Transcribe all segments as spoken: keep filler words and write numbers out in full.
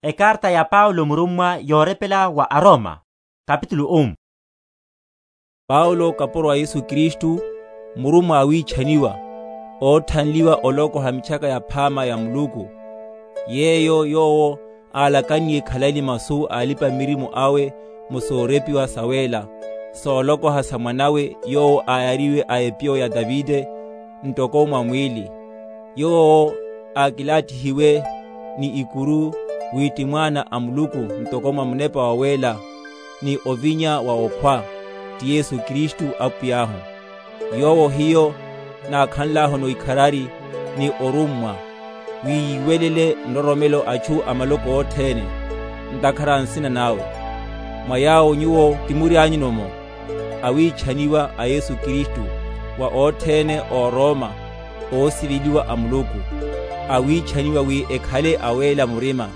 Ekarta ya paulo murummwa yoorepela wa aroma. Kapitulu um. Paulo kapuro a yesu kristu, murummwa a wiichaniwa, ootthanliwa olokoha mitchaka yaphaama ya muluku, yeeyo yoowo aalakanniye ekhalayini masu a alipa-mirimu awe mu soorepiwa saweela, soolokoha sa mwanawe yoowo aayariwe a epiyo ya tavite, ntoko mwa mwiili, yoowo aakilaattihiwe ni ikuru, wi ti mwaana a muluku ntoko mwa munepa waweela, ni ovinya wa okhwa, ti yesu kristu apwiy'ahu. Yoowo hiyo naakhanl'ahoni ikharari ni orummwa, wi yiiwelele nroromelo achu a maloko othene, ntakhara a nsina nawe. Mwa yaawo nyuwo timury'anyu-no-mo, awiichaniwa a yesu kristu, wa othene ooroma, oosiveliwa a muluku, awiichaniwa wi ekhale aweela murima,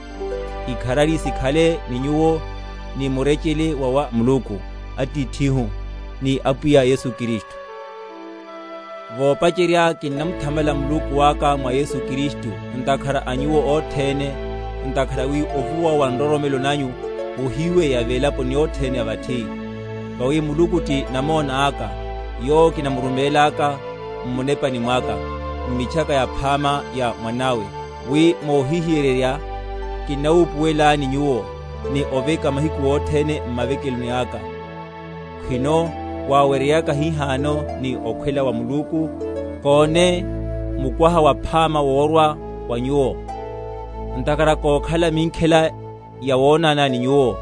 ikharari sikhale ni nyuwo, ni murecele wa wa muluku, atiithi-hu, ni apwiya yesu kristu. Voopacerya kinnamuthamala muluku aka mwa yesu kristu, ntakhara a nyuwo othene, ntakhara wi ovuwa wa nroromelo nanyu, ohiiweya velaponi othene a vathi. Vawi muluku ti namoona aka, yoowo kinamurumeel'aka mmunepani mw'aka, mmitchaka yaphaama ya mwanawe, wi moohihiyererya, kinnawuupuwel'ani nyuwo, ni oveka mahiku othene mmavekeloni aka. Khwino, waaweryeyaka hihaano ni okhwela wa muluku, koone mukwaha waphaama woorwa wa nyuwo. Ntakhara kookhala minkhela ya woonana ni nyuwo,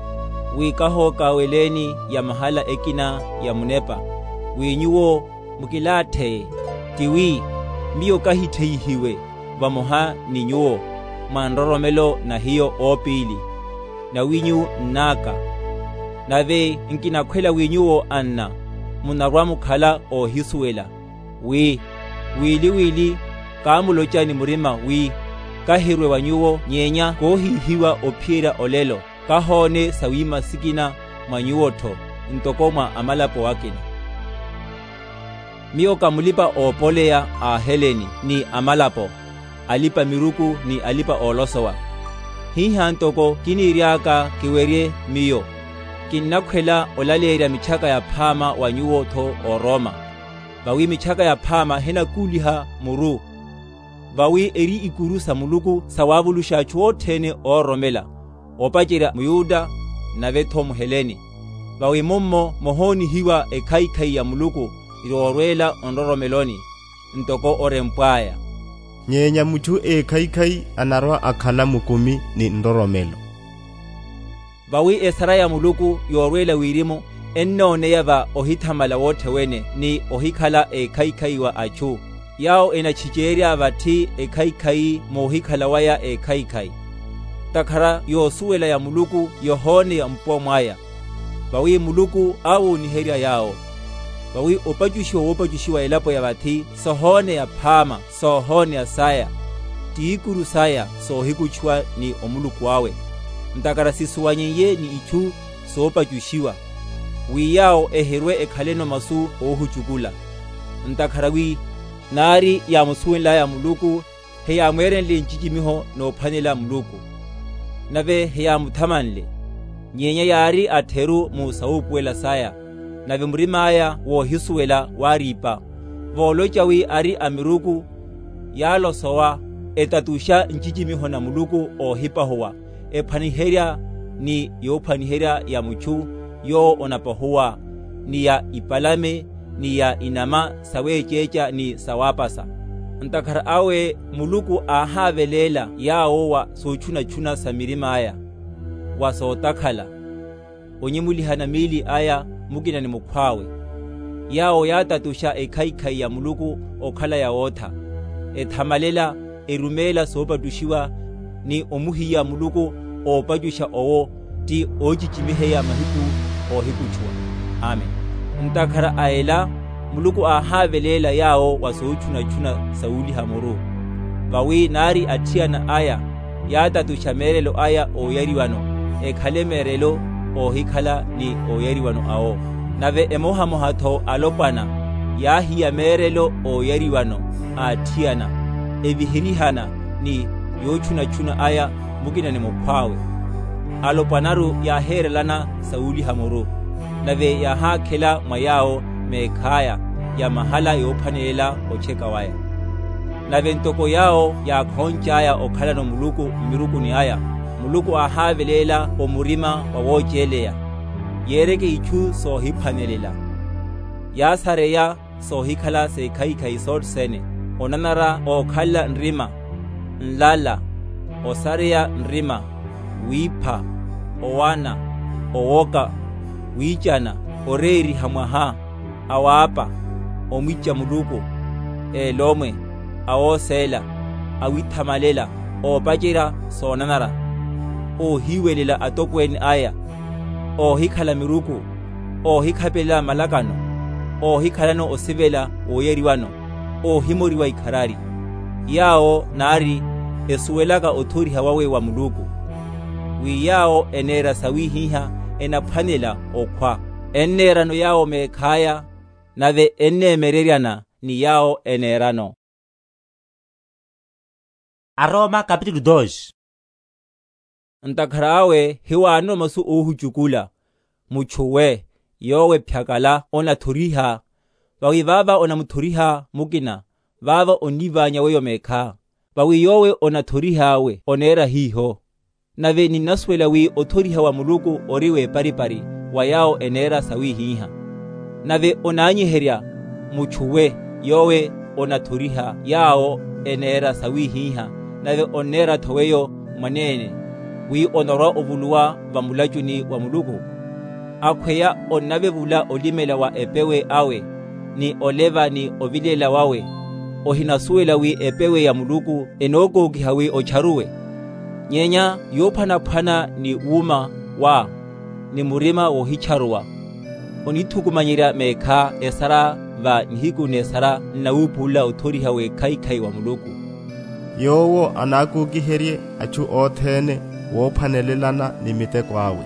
wi kahookaweleni ya mahala ekina ya munepa, wi nyuwo mukilaatheye, tiwi miyo kahitheyihiwe vamoha ni nyuwo, mwa nroromelo na hiyo oopiili, nawinyu nn'aka. Nave nkinakhwela wi nyuwo anna, munarwa-mukhala oohisuwela, wi wili-wili, kaamuloca ni murima wi, kahirwe wa nyuwo nyeenya koohiihiwa ophiyerya olelo, kahoone sawiima sikina mwa nyuwo-tho, ntoko mwa amalapo akina. Miyo ka mulipa-oopoleya a aheleni ni amalapo, alipa-miruku ni alipa-oolosowa. Hiha ntoko kiniiry'aka kiwerye miyo, kinnakhwela olaleerya mitchaka yaphaama wa nyuwo-tho ooroma. Vawi mitchaka yaphaama hinakuuliha muru. Vawi eri ikuru sa muluku sawaavuluxa atthu othene oororomela, oopacerya muyuda, nave-tho muheleni. Vawi mummo mohoonihiwa ekhaikhai ya muluku, yoorweela onroromeloni, ntoko orempw'aya. Nyenya mutthu ekhaikhai anarwa-akhala mukumi ni nroromelo. Vawi esara ya muluku yoorweela wirimu, ennooneya va ohithamala wothewene ni ohikhala ekhaikhai wa atthu, yaawo enatchiceerya vathi ekhaikhai moohikhala waya ekhaikhai. Ntakhara yoosuwela ya muluku yohooneya mpuwa mwaya. Vawi muluku aawooniherya yaawo. Vawi opacuxiwa woopacuxiwa elapo ya vathi sohooneya phaama, soohooneya saya, t'ikuru saya soohikutxuwa ni omuluku awe. Ntakhara sisuwanyeiye ni itthu soopacuxiwa, wi yaawo ehirwe ekhaleno masu oohucukula. Ntakhara wi naari yaamusuwenl'aya muluku, heyaamweerenle ncicimiho noophwanela muluku, nave heyaamuthamanle. Nyenya yaari atheru mu sawuupuwela saya, nave murim'aya woohisuwela waariipa. Vooloca wi ari a miruku, yaalosowa, etatuxa ncicimiho na muluku oohipahuwa, ephwaniherya ni yoophwaniherya ya mutthu yoowo onapahuwa, ni ya ipalame, ni ya inama saweeceeca ni sawaapasa. Ntakhara awe muluku aahaaveleela yaawo wa sootchunatchuna sa mirim'aya, wa sootakhala, onyemulihana miili aya mukina ni mukhw'awe. Yaawo yaatatuxa ekhaikhai ya muluku okhala yawootha, ethamalela, erumeela soopattuxiwa, ni omuhiya muluku oopattuxa owo, ti oocicimiheya mahiku oohikutxuwa. Amen. Ntakhara a ela, muluku aahaaveleela yaawo wa sootchunatchuna sawuuliha muru. Vawi naari atthiyana aya, yaatatuxa meerelo aya ooyariwano, ekhale meerelo oohikhala ni ooyariwano awo. Nave emohamoha-tho alopwana, yaahiya meerelo ooyariwano a atthiyana, eviherihana ni yootchunatchuna aya. mukina ni mukhw'awe. Alopwanaru yaaheerelana sawuliha muru, nave yaahaakhela mwa yaawo meekh'aya ya mahala yoophwanelela otcheka waya. Nave ntoko yaawo yaakhonch'aya okhalano muluku mmirukuni aya, muluku aahaaveleela omurima wa wooceeleya, yeereke ichu soohiphwanelela. Yaasareya soohikhala sekhaikhai sothene, onanara ookhalela nrima, nlala, osareya nrima, wiipha, owana, owoka, wiicana, oreeriha mwaha, awaapa, omwiica muluku, eelomwe, awooseela, awithamalela, oopacerya soonanara, oohiiwelela atokweene aya, oohikhala miruku, oohikhapelela malakano, oohikhalano osivela wooyeriwano, oohimoriwa ikharari. Yaawo naari esuwelaka othoriha wawe wa muluku, wi yaawo eneera sawihiha enaphwanela okhwa, enneerano yaawo meekh'aya, nave enneemereryana ni yaawo eneerano. Aroma kapitulu dos. Ntakhara awe hiwaanono masu oohucukula, muchuwe, yoowe phyakala onathoriha. Vawi vaava onamuthoriha mukina, vaava onnivaanya weyo meekha. Vawi yoowe onathorih'awe oneera hiiho. Nave ninnasuwela wi othoriha wa muluku ori w'eparipari wa yaawo eneera sawihiha. Nave onaanyiherya, muchuwe, yoowe onathoriha yaawo eneera sawihiha, nave onneera-tho weyo mwaneene, wi onarwa-ovuluwa vamulacuni wa muluku. Akhweya onnavevula olimela wa epewe awe, ni oleva ni ovilela wawe. Ohinasuwela wi epewe ya muluku enookookiha wi ocharuwe? Nyenya yoophwanaphwana ni wuuma wa, ni murima woohicharuwa, onithukumanyerya meekha esara va nihiku n'esara nnawuupulela othoriha w'ekhaikhai wa muluku. Yoowo anaakookiherye achu othene woophwanelelana ni miteko awe.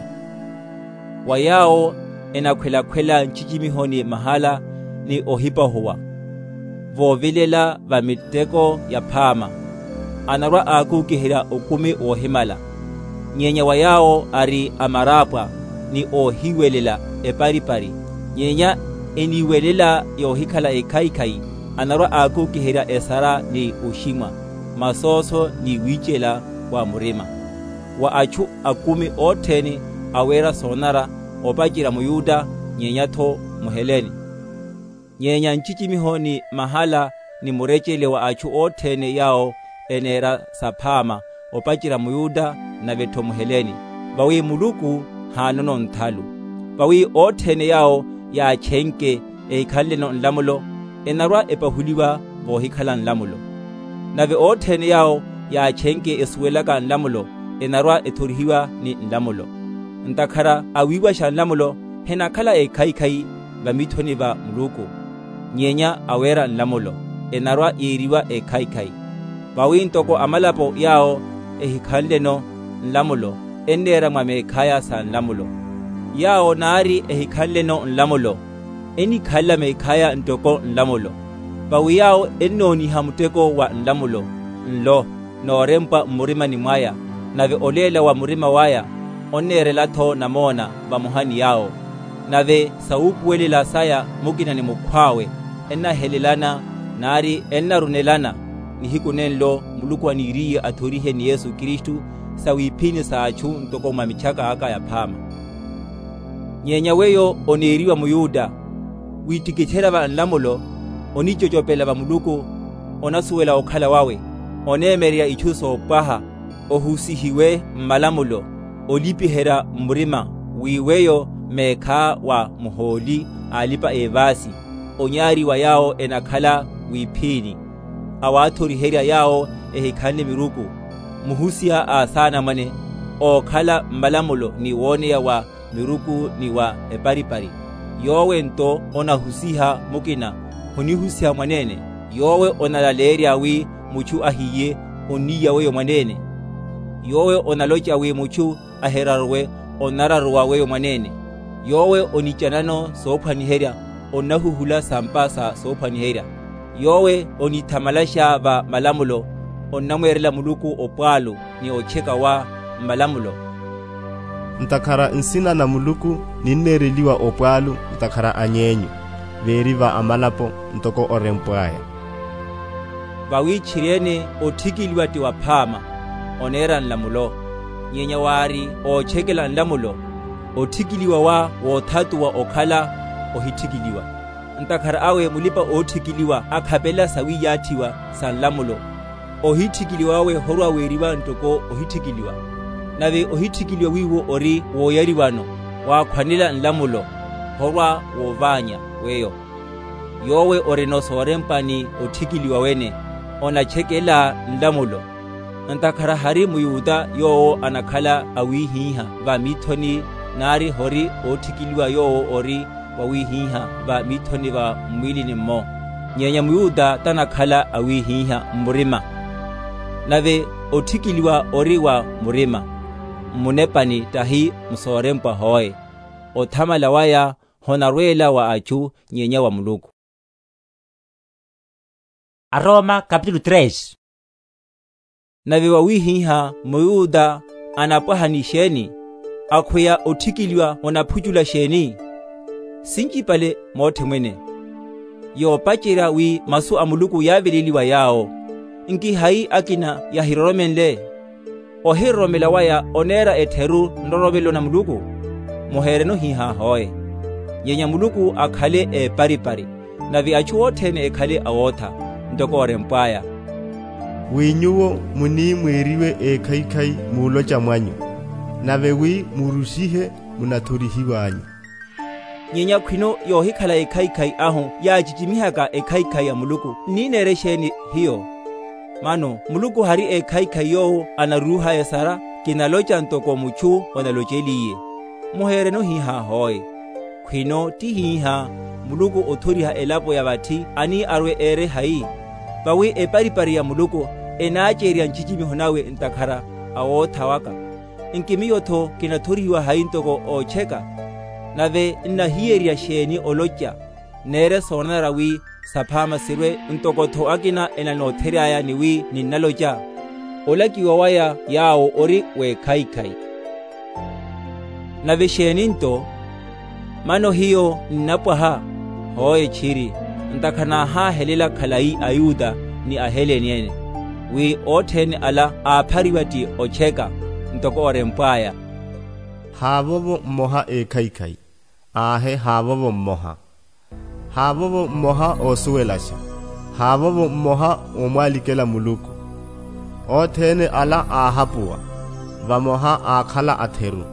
Wa yaawo enakhwelakhwela ncicimiho ni mahala ni ohipahuwa, voovilela va miteko yaphaama, anarwa-aakuukiherya okumi woohimala. Nyenya wa yaawo ari amaraapwa ni oohiiwelela eparipari, nyenya eniiwelela yoohikhala ekhaikhai, anarwa-aakuukiherya esara ni oximwa, masooso ni wiicela wa murima. Wa achu akumi othene aweera soonara, opacerya muyuda nyenya-tho muhelene. Nyenya ncicimiho ni mahala ni murecele wa achu othene yaawo eneera saphaama, opacerya muyuda nave-tho muhelene, vawi muluku haanono nthalu. Vawi othene yaawo yaachenke ehikhanleno nlamulo, enarwa-epahuliwa voohikhala nlamulo. Nave othene yaawo yaachenke esuwelaka nlamulo, enarwa-ethorihiwa ni nlamulo. Ntakhara awiiwaxa nlamulo henakhala ekhaikhai vamithoni va muluku, nyenya aweera nlamulo enarwa-yiiriwa ekhaikhai. Vawi ntoko amalapo yaawo ehikhanleno nlamulo enneera mwa meekhaya sa nlamulo. Yaawo naari ehikhanleno nlamulo enikhalela meekhaya ntoko nlamulo. Vawi yaawo ennooniha muteko wa nlamulo nlo noorempwa mmurimani mwaya, nave oleela wa murima waya onneerela-tho namoona vamoha ni yaawo. Nave sawuupuwelela saya mukina ni mukhw'awe ennahelelana, naari ennarunelana, nihiku nenlo muluku aniiriye athorihe ni yesu kristu sawiiphini sa achu ntoko mwa michaka aka yaphaama. Nyenya weyo oneeriwa muyuda, wiittikitherya va nlamulo, onicocopela va muluku, onasuwela okhala wawe, oneemererya ichu soopwaha, ohusihiwe mmalamulo, olipiherya mmurima, wi weyo meekha wa muhooli alipa-eevaasi, onyaari wa yaawo enakhala wiiphini, awaathoriherya yaawo ehikhanle miruku, muhusiha a saanamwane, ookhala mmalamulo ni wooneya wa miruku ni wa eparipari. Yoowe nto onahusiha mukina, honihusiha mwaneene. Yoowe onalaleerya wi muchu ahiye, onniiya weyo mwaneene. Yoowe onaloca wi muchu ahiraruwe, onararuwa weyo mwaneene. Yoowe onicanano soophwaniherya, onnahuhula sampa sa soophwaniherya. Yoowe onithamalaxa va malamulo, onnamweerela muluku opwaalu ni otcheka wa mmalamulo. Ntakhara nsina na muluku ninneereliwa opwaalu ntakhara any'enyu, veeri va amalapo ntoko orempw'aya. Vawi tchiri-ene otthikiliwa ti waphaama, oneera nlamulo. Nyenya waari oochekela nlamulo, otthikiliwa wa woothatuwa okhala ohitthikiliwa. Ntakhara awe mulipa-ootthikiliwa akhapela sawiiyaathiwa sa nlamulo, ohitthikiliwa awe horwa weeriwa ntoko ohitthikiliwa. Nave ohitthikiliwa wiiwo ori wooyariwano, waakhwanela nlamulo, horwa woovaanya weyo. Yoowe orino soorempwa ni otthikiliwa wene, onatchekela nlamulo. Ntakhara hari muyuta yoowo anakhala awiihihya va miithoni, naari hori ootthikiliwa yoowo ori wawiihihya va miithoni va mmwiilini-mmo. Nyenya muyuta tanakhala awiihihya mmurima, nave otthikiliwa ori wa murima, mmunepani tahi musoorempwa hoe. Othamala waya honarweela wa achu nyenya wa muluku. Aroma kapitulu tres. Nave wawiihihya muyuta anapwaha ni xeeni? Akhweya otthikiliwa onaphucula xeeni? Sincipale moothimwene, yoopacerya wi masu a muluku yaaveleliwa yaawo. Nki hayi akina yahiroromenle? Ohiroromela waya oneera etheru nroromelo na muluku? Muheereno hihaahoye. Nyenya muluku akhale eeparipari, nave achu othene ekhale awootha, ntoko orempw'aya. Wi nyuwo muniimweeriwe ekhaikhai muuloca mwanyu, nave wi muruxihe munathorihiw'anyu. Nyenya khwino yoohikhala ekhaikhai ahu yaacicimihaka ekhaikhai ya muluku nniineere xeeni? Hiyo. Mano muluku hari ekhaikhai yoowo anaruruhaya esara? Kinaloca ntoko muchu onaloceliye. Muheereno hihaahoye. Khwino ti hiiha muluku othoriha elapo ya vatthi ani arwe eere hayi? Vawi eparipari ya muluku enaacerya ncicimiho nawe ntakhara awootha waka. Nki miyo-tho kinathorihiwa hayi ntoko oocheka? Nave nnahiyerya xeeni oloca? Neere soonanara wi saphaama sirwe ntoko-tho akina enanoothery'aya ni wi ninnaloca, olakiwa waya yaawo ori w'ekhaikhai. Nave xeeni nto? Mano hiyo nnapwaha? Hoe tchiri, ntakhara naahaahelela khalayi ayuta ni aheleni ene, wi othene ala aaphariwa ti ocheka, ntoko orempw'aya. Haavovo mmoha ekhaikhai, aahe haavovo mmoha. Haavovo mmoha oosuwelaxa, haavovo mmoha oomwalikela muluku. Othene ala aahapuwa, vamoha aakhala atheru.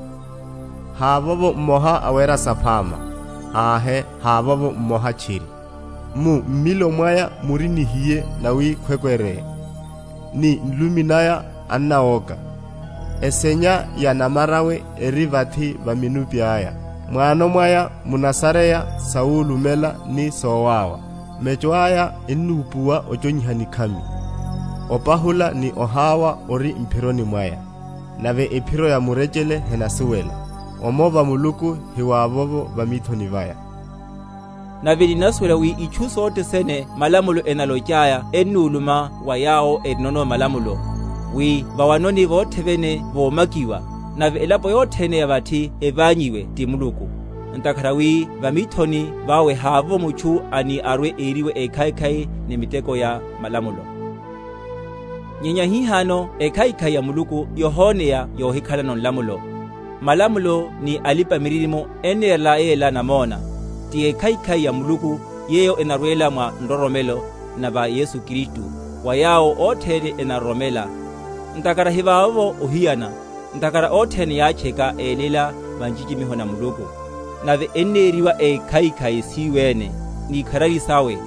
Haavovo mmoha awerya saphaama, aahe haavovo mmoha tchiri. Mu mmilo mwaya muri nihiye nawikhwekwereye, ni nlumi naya annawooka. Esenya ya namarawe eri vathi va minupi aya. Mwaano mwaya munasareya sawulumela ni soowaawa. Meco aya ennuupuwa oconyiha nikhami, opahula ni ohaawa ori mphironi mwaya. Nave ephiro ya murecele henasuwela, omo va muluku hiwaavovo va miithoni vaya. Nave ninasuwela wi ichu sothene malamulo enalocaya ennuuluma wa yaawo erinono malamulo, wi vawanoni vothene voomakiwa, nave elapo yothene ya vatthi evaanyiwe ti muluku. Ntakhara wi va miithoni vawe haavo muchu ani arwe eeriwe ekhaikhai ni miteko ya malamulo. Nyenya hihaano ekhaikhai ya muluku yohooneya yoohikhalano nlamulo. Malamulo ni alipa-miririmo enneerela yeela namoona, ti ekhaikhai ya muluku yeeyo enarweela mwa nroromelo na va yesu kristu, wa yaawo othene enaroromela. Ntakhara hivaavovo ohiyana, ntakhara othene yaacheka eelela va ncicimiho na muluku, nave enneeriwa ekhaikhai siiwe-ene n'ikharari sawe,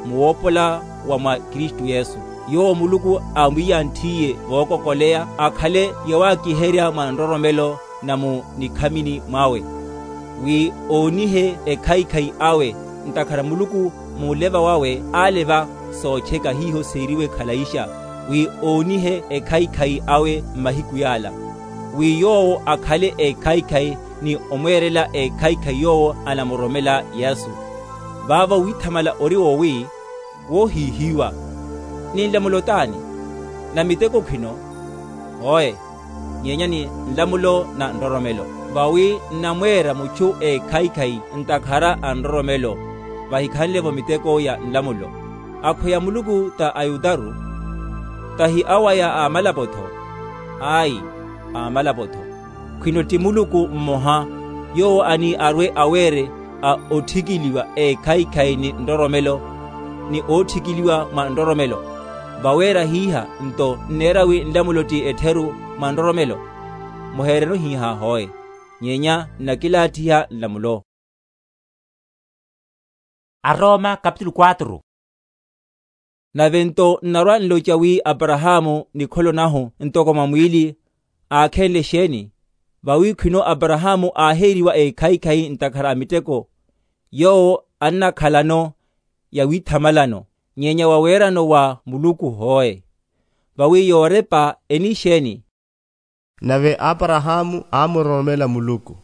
muwoopola wa mwa kristu yesu, yowo muluku aamwiyanthiye vookokoleya akhale yawaakiherya mwa nroromelo na mu nikhamini mwawe, wi oonihe ekhaikhai awe. Ntakhara muluku muleva wawe aaleva soocheka hiho seeriwe khalayixa, wi oonihe ekhaikhai awe mmahiku yaala, wi yoowo akhale ekhaikhai ni omweerela ekhaikhai yoowo anamuroromela yesu. Vaavo withamala ori wowi woohihiwa. Ni nlamulo t'ani? Na miteko khwino, hooye, nyenya ni nlamulo na nroromelo. Vawi nnamweera muchu ekhaikhai ntakhara a nroromelo, vahikhanle-vo miteko ya nlamulo. Akhweya muluku ta ayudaru? Tahi awo aya a malapo-tho? Ayi, a malapo-tho. Khwino ti muluku mmoha, yoowo ani arwe aweere a otthikiliwa ekhaikhai ni nroromelo, ni ootthikiliwa mwa nroromelo. Vaweera hiiha nto nneera wi nlamulo ti ettheru mwa nroromelo? Muheereno hiiha hooye, nyenya nnakilaattiha nlamulo. Aroma kapitulu quatro. Nave nto nnarwa-nloca wi aparahaamu nikholo nahu ntoko mwa mwiili, aakhenle exeeni? Vawi khwino aparahaamu aaheeriwa ekhaikhai ntakhara a miteko, yoowo annakhalano yawithamalano, nyenya waweerano wa muluku hooye. Vawi yoorepa eni exeeni? Nave aparahaamu aamuroromela muluku,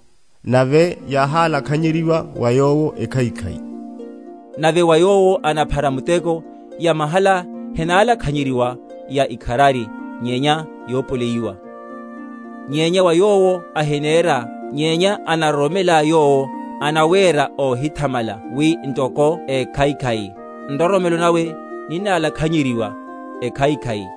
nave yaahaalakhanyeriwa wa yoowo ekhaikhai. Nave wa yoowo anaphara muteko, ya mahala henaalakhanyeriwa ya ikharari, nyenya yoopoleiwa. Nyenya wa yoowo ahineera, nyenya anaroromela yoowo, anaweera oohithamala wi ntoko ekhaikhai, nroromelo nawe ninnaalakhanyeriwa ekhaikhai.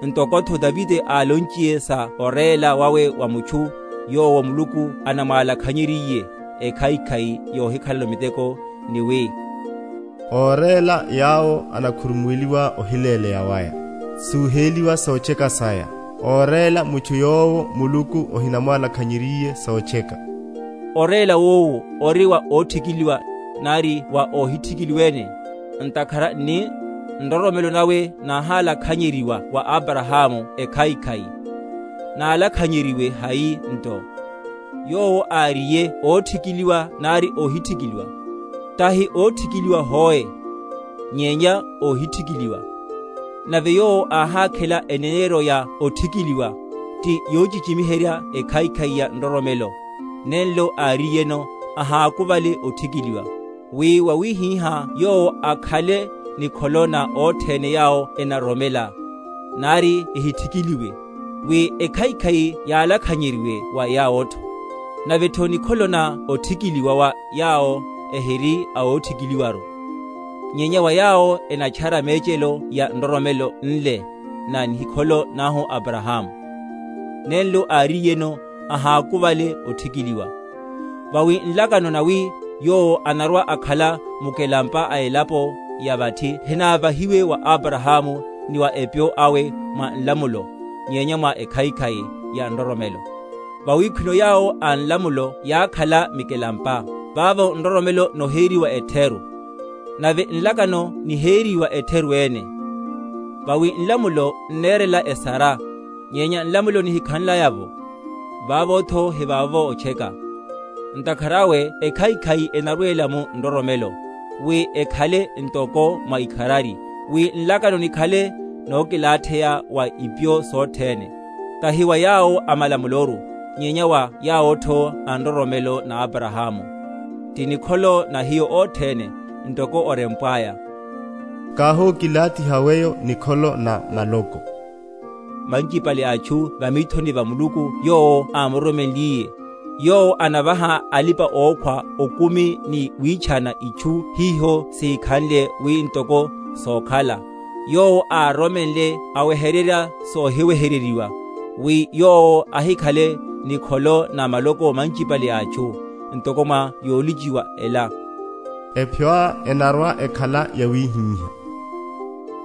Ntoko-tho tavite aalonciye sa oreela wawe wa muchu yoowo muluku anamwaalakhanyeriye ekhaikhai yoohikhalano miteko, ni wi, ooreela yaawo anakhurumuweliwa ohileeleya waya, suuheeliwa sooceka saya. Ooreela muchu yoowo muluku ohinamwaalakhanyeriye sooceka. Oreela woowo ori wa ootthikiliwa nari wa oohitthikiliwa-ene, ntakhara nni nroromelo nawe naahaalakhanyeriwa wa aparahaamu ekhaikhai. Naalakhanyeriwe hayi nto? Yoowo aariye ootthikiliwa nari oohitthikiliwa? Tahi ootthikiliwa hooye, nyenya oohitthikiliwa. Nave yoowo aahaakhela eneneeryo ya otthikiliwa, ti yoocicimiherya ekhaikhai ya nroromelo. Nenlo aariyeno, ahaakuvale otthikiliwa, wi wawihiha yoowo akhale nikholo na othene yaawo enaroromela, nari ehitthikiliwe, wi ekhaikhai yaalakhanyeriwe wa yaawo-tho. Nave-tho nikholo na otthikiliwa wa yaawo ehiri awootthikiliwaru, nyenya wa yaawo enachara meecelo ya nroromelo nle na nihikholo nahu aparahaamu. Nenlo aariyeno, ahaakuvale otthikiliwa. Vawi nlakano nawi yoowo anarwa akhala mukelampa a elapo ya vatthi henaavahiwe wa aparahaamu ni wa epyo awe mwa nlamulo, nyenya mwa ekhaikhai ya nroromelo. Vawi khwino yaawo a nlamulo yaakhala mikelampa, vaavo nroromelo noheeriwa ettheru. Nave nlakano niheeriwa ettheru-ene. Vawi nlamulo nneerela esara, nyenya nlamulo nihikhanlaya-vo, vaavo-tho hivaavo oceka. Ntakhara awe ekhaikhai enarweela-mu nroromelo, wi ekhale ntoko mwa ikharari, wi nlakano nikhale nookilaattheya wa ipyo sothene, tahi wa yaawo a malamuloru, nyenya wa yaawo-tho a nroromelo na aparahaamu. Ti nikholo na hiyo othene, ntoko orempw'aya, kaahookilaattiha weyo nikholo na maloko. Mancipale a achu va miithoni va muluku yoowo aamuromenliye, yoowo anavaha alipa-ookhwa okumi ni wiichana ichu hiho siikhanle wi ntoko sookhala. Yoowo aaromenle awehererya soohiwehereriwa, wi yoowo ahikhale nikholo na maloko mancipale a achu, ntoko mwa yooliciwa ela. Epyo-a enarwa ekhala yawihiha.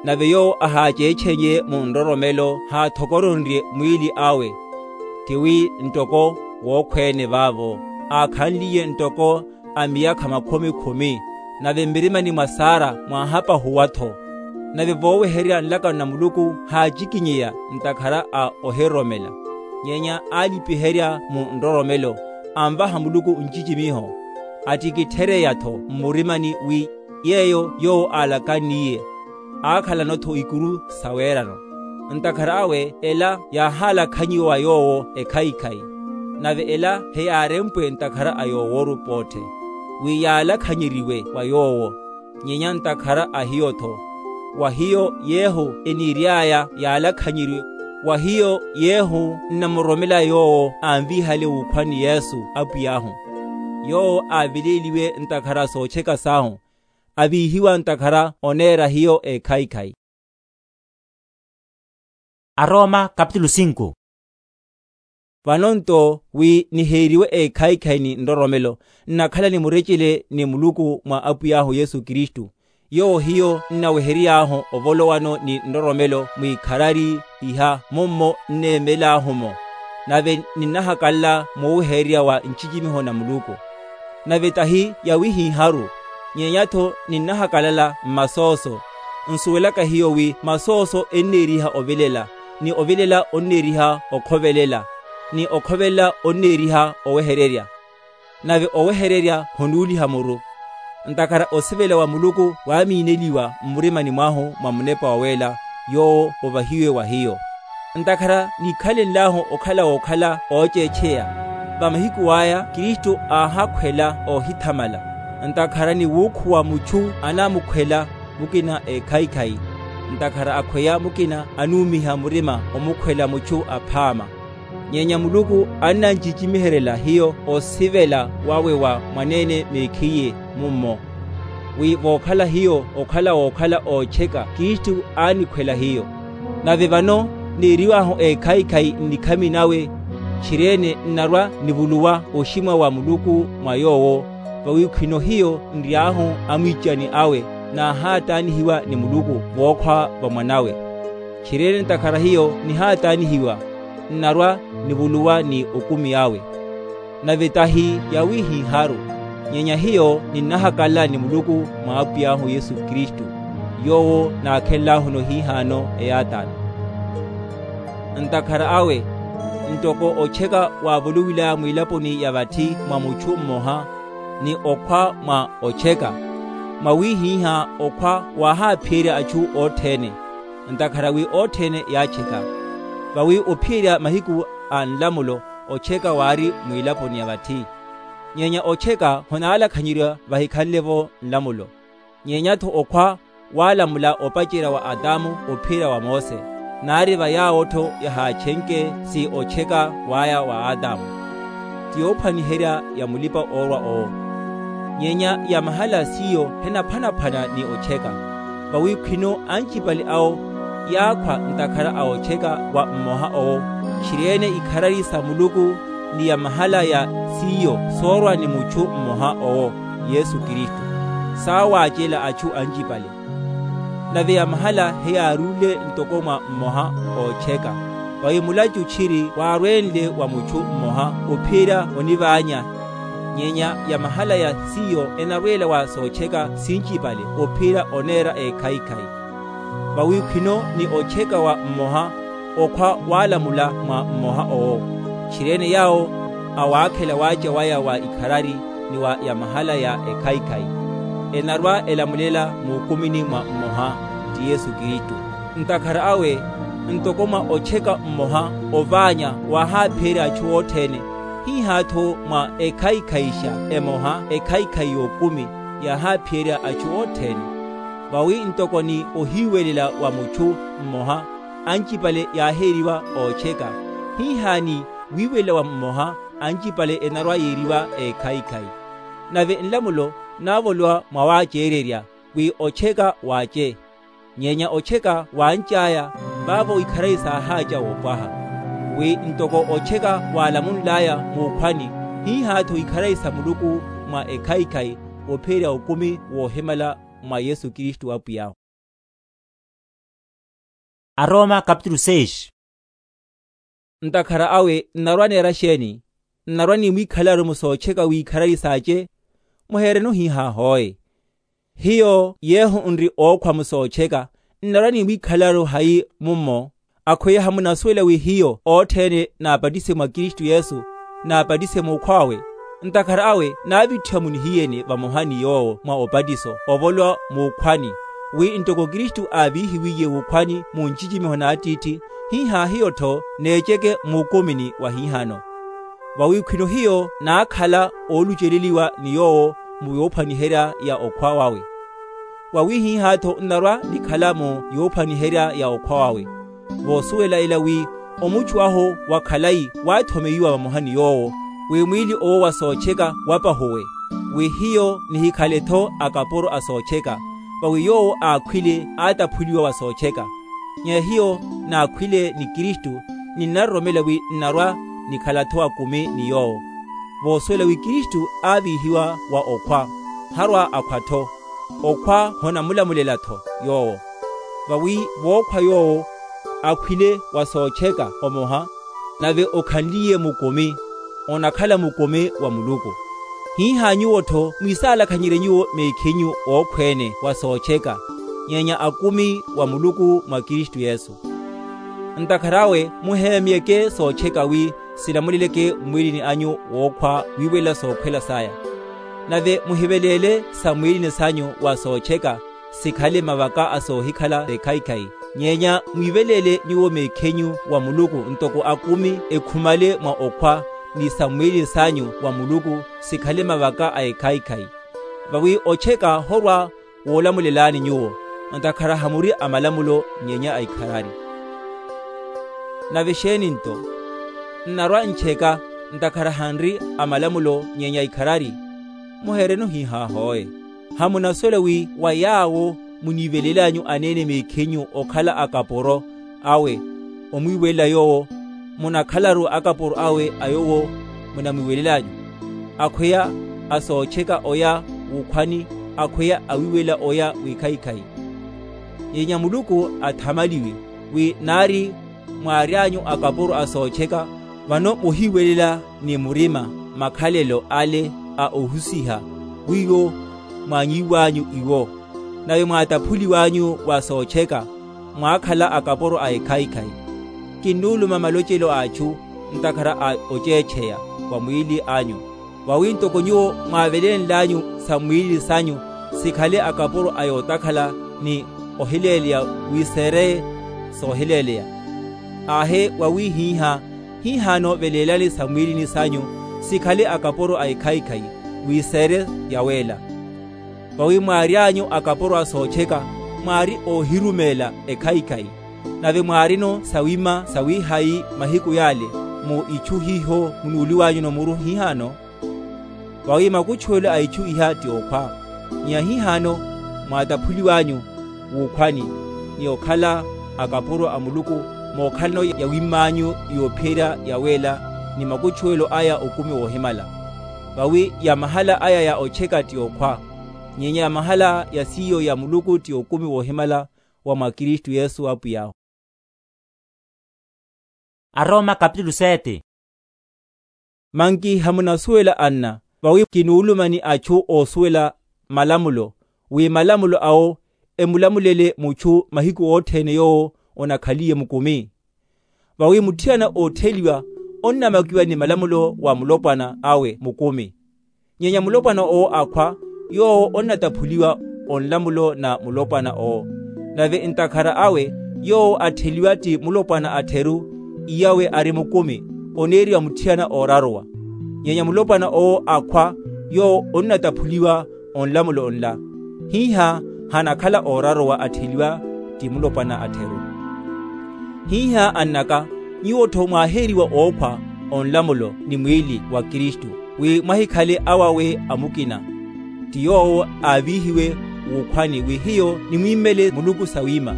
Nave yoowo ahaaceechenye mu nroromelo haathokoronrye mwiili awe, tiwi ntoko wookhweene vaavo, aakhanliye ntoko a miyakha makhumi khumi. Nave mmirimani mwa saara mwaahapahuwa-tho. Nave voowehererya nlakano na muluku haacikinyeya ntakhara a ohiroromela, nyenya aalipiherya mu nroromelo, anvaha muluku ncicimiho, attikitthereya-tho mmurimani wi yeeyo yoowo aalakanniye, aakhalano-tho ikuru sa weerano. Ntakhara awe ela yaahaalakhanyiwa wa yoowo ekhaikhai, nave ela heyaarempwe ntakhara a yooworu poothe, wi yaalakhanyeriwe wa yoowo, nyenya ntakhara a hiyo-tho. Wa hiyo yeehu eniiry'aya yaalakhanyeryiwe. Wa hiyo yeehu nnamuroromela yoowo anviihale wuukhwani yesu apwiy'ahu. Yoowo aaveleeliwe ntakhara sootcheka sahu, aviihiwa ntakhara oneera hiyo ekhayikhayi. Aroma kapitulu sinku. Vano nto wi niheeriwe ekhayikhayi ni nroromelo, nnakhala ni murecele ni muluku mwa apwiy'ahu yesu kristu, yoowo hiyo nnawehery'ahu ovolowano ni nroromelo mwikharari. Iha mummo nneemel'ahu-mo, nave ninnahakalala moowehererya wa ncicimiho na muluku. Nave tahi yawihiharu, nyenya-tho ninnahakalala mmasooso, nsuwelaka hiyo wi masooso enneeriha ovilela, ni ovilela onneeriha okhovelela, ni okhovelela onneeriha owehererya, nave owehererya honuuliha muru. Ntakhara osivela wa muluku waamiineliwa mmurimani mwahu mwa munepa oweela, yoowo ovahiwe wa hiyo. Ntakhara niikhalenlahu okhala wookhala ooceecheya, va mahiku aya kristu aahakhwela oohithamala. Ntakhara ni wuukhuwa muchu anamukhwela mukina ekhayikhayi, ntakhara akhweya mukina anuumiha murima omukhwela muchu aphaama. Nyenya muluku annancicimiherela hiyo osivela wawe wa mwaneene meekhiye mummo, wi vookhala hiyo okhala wookhala oocheka kristu aanikhwela hiyo. Nave vano neeriwahu ekhayikhayi nnikhami nawe, tchiri-ene nnarwa-nivuluwa oximwa wa muluku mwa yoowo. Vawi khwino hiyo nry'ahu amwiicani awe, naahaataanihiwa ni muluku vookhwa va mwanawe. Tchiri-ene ntakhara hiyo nihaataanihiwa, nnarwa-nivuluwa ni okumi awe. Nave tahi yawihiharu, nyenya hiyo ninnahakalala ni muluku mwa apwiy'ahu yesu kristu, yoowo naakhenl'ahuni ohihaano eyaatano. Ntakhara awe, ntoko ocheka waavuluwil'aya mwilaponi ya vatthi mwa muchu mmoha, ni okhwa mwa ocheka, mwawihiha okhwa waahaaphiyerya achu othene, ntakhara wi othene yaacheka. Vawi ophiyerya mahiku a nlamulo, ocheka waari mwilaponi ya vatthi, nyenya ocheka honaalakhanyeryiwa vahikhanle-vo nlamulo. Nyenya-tho okhwa waalamula opacerya wa atamu ophiyerya wa mose, naari va yaawo-tho yahaachenke si ocheka waya wa atamu, ti yoophwaniherya ya mulipa-oorwa owo. Nyenya ya mahala s'iyo henaphwanaphwana ni ocheka, vawi khwino ancipale awo yaakhwa ntakhara a ocheka wa mmoha owo, tchiri-ene ikharari sa muluku, ni ya mahala ya s'iyo soorwa ni muchu mmoha owo, yesu kristu, saawaacela achu ancipale. Nave ya mahala heyaaruule ntoko mwa mmoha oocheka, vawi mulachu tchiri waarwenle wa muchu mmoha ophiyerya onivaanya. Nyenya ya mahala ya s'iyo enarweela wa soocheka sincipale ophiyerya oneera ekhayikhayi. Vawi khwino ni ocheka wa mmoha, okhwa waalamula mwa mmoha owo, tchiri-ene yaawo awaakhela waacha waya wa ikharari ni wa ya mahala ya ekhayikhayi, enarwa-elamulela muukumini mwa mmoha, ti yesu kristu. Ntakhara awe, ntoko mwa ocheka mmoha ovaanya waahaaphiyerya achu othene, hiha-tho mwa ekhayikhayixa emoha ekhayikhayi y'okumi yaahaaphiyerya achu othene. Vawi ntoko ni ohiiwelela wa muchu mmoha ancipale yaaheeriwa oocheka, hiha ni wiiwelela wa mmoha ancipale enarwa-yeeriwa ekhayikhayi. Nave nlamulo naavolowa mwawaaceererya wi ocheka waace, nyenya ocheka waanc'aya, vaavo ikharari saahaaca woopwaha. Wi ntoko ocheka waalamunl'aya muukhwani, hiha-tho ikharari sa muluku mwa ekhayikhayi ophiyerya okumi woohimala mwa yesu kristu apwiy'ahu. Aroma kapitulu seis. Ntakhara awe nnarwa-neera xeeni? Nnarwa-nimwiikhalaru musoocheka w'ikharari saace? Muheerene ohiiha hooye. Hiyo yeehu nri ookhwa musoocheka, nnarwa-nimwiikhalaru hayi mummo? Akhweya hamunasuwela wi hiyo othene naapatise mwa kristu yesu, naapatise muukhw'awe? Ntakhara awe naavitthiwa munihiyeni vamoha ni yoowo mwa opatiso ovolowa muukhwani, wi ntoko kristu aaviihiwiye wuukhwani mu ncicimiho n'attiitthi, hiha hiyo-tho neeceke muukumini wa hihano. Vawi khwino hiyo naakhala ooluceleliwa ni yoowo mu yoophwaniherya ya okhwa wawe. Wawihih'atho nnarwa-nikhala mu yuuphwaniherya ya okhwa wawe. Voosuwela ela wi omuchu ahu wa khalayi waathomeiwa vamoha ni yoowo, wi mwiili owo wa sootcheka wapahuwe, wi hiyo nihikhale-tho akapuro a sootcheka. Vawi yoowo aakhwile aataphuliwa wa sootcheka. Nyenya hiyo naakhwile ni kristu, ninnaroromela wi nnarwa-nikhala-tho akumi ni yoowo. Voosuwela wi kristu aaviihiwa wa okhwa, harwa-akhwa-tho. Okhwa honamulamulela-tho yoowo. Vawi vookhwa yoowo akhwile wa sootcheka omoha, nave okhanliye mukumi, onakhala mukumi wa muluku. Hiha nyuwo-tho mwisaalakhanyerye nyuwo meekhinyu ookhweene wa sootcheka, nyenya akumi wa muluku mwa kristu yesu. Ntakhara awe muheemyeke sootcheka wi sinamuleleke mmwiilini anyu wookhwa wiiwelela sookhwela saya. Nave muhiveleele sa mwiilini sanyu wa sootcheka sikhale mavaka a soohikhala ekhaikhai, nyenya mwiiveleele nyuwo meekhenyu wa muluku ntoko akumi ekhumale mwa okhwa, ni sa mwiilini sanyu wa muluku sikhale mavaka a ekhaikhai. Vawi otcheka horwa woolamulelani nyuwo, ntakhara hamuri a malamulo nyenya a ikharari. Nave xeeni nto? Nnarwa-ntcheka ntakhara hanri a malamulo nyenya a ikharari? Muheerenu hihaah'oye. Hamunasuwela wi wa yaawo muniivelelanyu aneene meekhenyu okhala akapuro awe omwiiwelela yoowo, munakhalaru akapuro awe a yoowo munamwiiwelelanyu, akhweya a sootcheka oya wuukhwani, akhweya awiiwelela oya w'ekhaikhai. Nyenya muluku athamaliwe wi naari mwaary'anyu akapuro a sootcheka, vano muhiiwelela ni murima makhalelo ale a ohusiha wiwo mwaanyiiw'anyu iwo. Nave mwaataphuliw'anyu wa sootcheka mwaakhala akapuro a ekhaikhai. Kinnuuluma malocelo a achu ntakhara a oceecheya wa mwiili anyu, vawi ntoko nyuwo mwaavelenl'anyu sa mwiili sanyu sikhale akapuro a yootakhala ni ohileeleya wi seereye soohileeleya. Aahe wawihiha, hihano veleelani sa mwiilini sanyu sikhale akapuro a ekhaikhai wi seere yaweela. Vawi mwaary'anyu akapuro a sootcheka mwaari oohirumeela ekhaikhai, nave mwaarino sawima sawiihayi mahiku yaale mu ichu hiho munuuliw'anyuno muru hihano. Vawi makutchuwelo a ichu iha ti okhwa, nyenya hihano mwaataphuliw'anyu wuukhwani ni okhala akapuro a muluku mookhalano yawimm'anyu yoophiyerya yaweela ni makutchuwelo aya okumi woohimala. Vawi ya mahala aya ya otcheka ti okhwa, nyenya ya mahala ya siiyo ya muluku ti okumi woohimala wa mwa kristu yesu apwiy'ahu. Aroma kapitulu sete. Manki hamunasuwela anna, vawi kinuuluma ni achu oosuwela malamulo, wi malamulo awo emulamulele muchu mahiku othene yoowo onakhaliye mukumi? Vawi mutthiyana ootheliwa onnamakiwa ni malamulo wa mulopwana awe mukumi. Nyenya mulopwana owo akhwa, yoowo onnataphuliwa onlamulo na mulopwana owo. Nave ntakhara awe yoowo attheliwa ti mulopwana atheru, iyawe ari mukumi, oneeriwa mutthiyana ooraruwa. Nyenya mulopwana owo akhwa, yoowo onnataphuliwa onlamulo nla, hiha hanakhala ooraruwa attheliwa ti mulopwana atheru. Hiha annaka, nyuwo-tho mwaaheeriwa ookhwa onlamulo ni mwiili wa kristu, wi mwahikhale awawe a mukina, ti yoowo aaviihiwe wuukhwani wi hiyo nimwimmele muluku sawiima.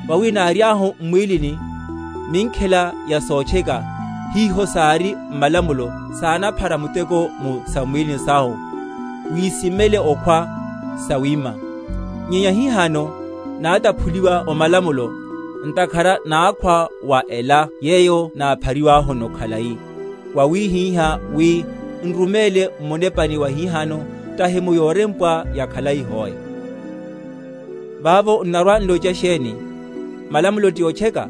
Vawi naary'ahu mmwiilini minkhela ya sootcheka, hiho saari mmalamulo saanaphara muteko mu sa mwiilini sahu, wiisimmele okhwa sawiima. Nyenya hihano naataphuliwa omalamulo, ntakhara naakhwa wa ela yeeyo naaphariw'ahuno khalayi, wawihiha wi nrumeele mmunepani wa hihano, tahi mu yoorempwa ya khalayi hoe. Vaavo nnarwa-nloca xeeni? Malamulo ti otcheka?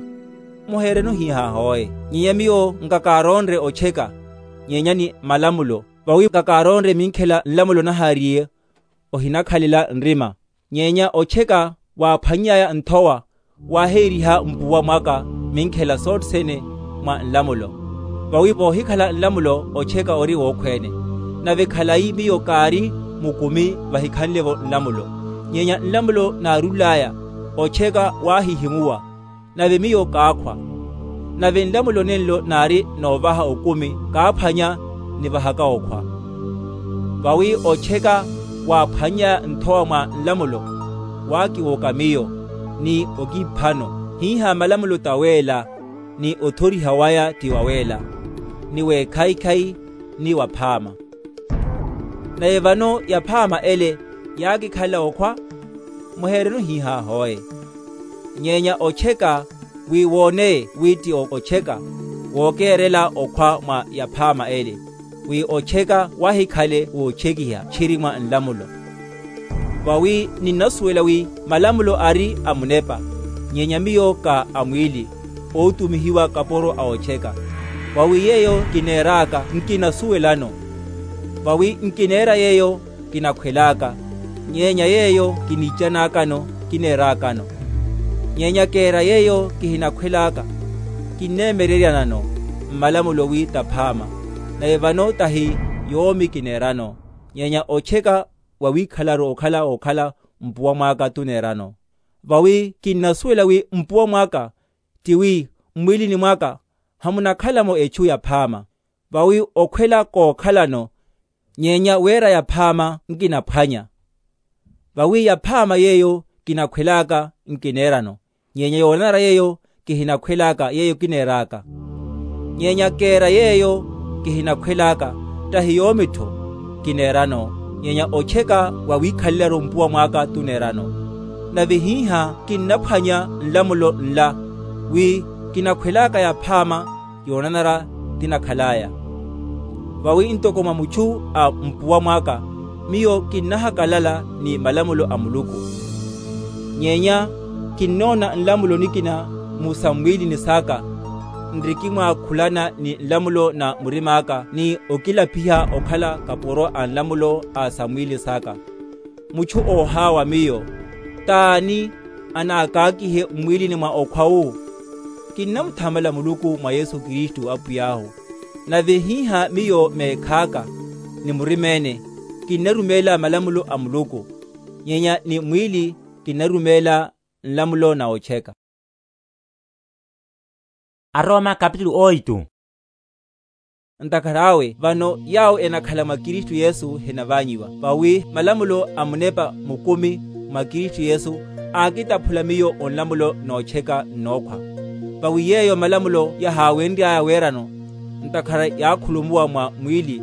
Muheerenu hiha hoe. Nyenya miyo nkakaaronre otcheka, nyenya ni malamulo. Vawi nkakaaronre minkhela nlamulo nahaariye ohinakhalela nrima. Nyenya otcheka waaphwanny'aya nthowa, waaheeriha mpuwa mwaka minkhela sothene mwa nlamulo. Vawi voohikhala nlamulo otcheka ori wookhweene. Nave khalayi miyo kaari mukumi vahikhanle-vo nlamulo, Nyenya nlamulo naarul'aya, otcheka waahihimuwa, nave miyo kaakhwa. Nave nlamulo nenlo naari noovaha okumi kaaphwanya nivahaka okhwa. Vawi otcheka waaphwanny'aya nthowa mwa nlamulo waakiwooka miyo, ni okiphano. Hiiha malamulo taweela, ni othoriha waya ti waweela, ni weekhaikhai, ni waphaama. Nave vano yaphaama ele yaakikhalela okhwa? Muheereno hiiha hoe. Nyenya otcheka, wi wooneye wi ti otcheka, wookeerela okhwa mwa yaphaama ele, wi otcheka wahikhale wootchekiha tchiri mwa nlamulo. Vawi ninnasuwela wi malamulo ari a munepa, nyenya miyo ka a mwiili, ootumihiwa kapuro a otcheka. Vawi yeeyo kineer'aka nkinasuwelano. Vawi nkineera yeeyo kinakhwel'aka, nyenya yeeyo kiniican'akano kineer'akano. Nyenya keera yeeyo kihinakhwel'aka, kinneemereryanano mmalamulo wi taphaama. Nave vano tahi yoomi kineerano, nyenya otcheka wawiikhalaru okhala okhala mpuwa mwaka tuneerano. Vawi kinnasuwela wi mpuwa mwaka ti wi mmwiilini mwaka hamunakhala-mo echu yaphaama. Vawi okhwela kookhalano, nyenya weera yaphaama nkinaphwanya. Vawi yaphaama yeeyo kinakhwel'aka nkineerano, nyenya yoonanara yeeyo kihinakhwel'aka yeeyo kineer'aka. Nyenya keera yeeyo kihinakhwel'aka, tahi yoomi-tho kineerano, nyenya otcheka wawiikhalelaru mpuwa mwaka tuneerano. Nave hiiha kinnaphwanya nlamulo nla, wi kinakhwel'aka yaphaama yoonanara tinakhal'aya. Vawi ntoko mwa muchu a mpuwa mwaka, miyo kinnahakalala ni malamulo a muluku. Nyenya kinnoona nlamulo nikina mu sammwiilini saka, nrikimwaakhulana ni nlamulo na murim'aka ni okilapiha okhala kapuro a nlamulo a sammwiili saka. Muchu oohaawa miyo, t'ani anaakaakihe mmwiilini mwa okhwa wu? Kinnamuthamala muluku mwa yesu kristu apwiy'ahu. Nave hiiha miyo meekh'aka ni murima-ene, kinnarumeela malamulo a muluku, nyenya ni mwiili kinnarumeela nlamulo na otcheka. Aroma kapitulu oitu. Ntakhara awe vano yaawo enakhala mwa kristu yesu henavaanyiwa, vawi malamulo a munepa mukumi mwa kristu yesu aakitaphula miyo onlamulo nootcheka nnookhwa. Vawi yeeyo malamulo yahaawenry'aya weerano, ntakhara yaakhulumuwa mwa mwiili,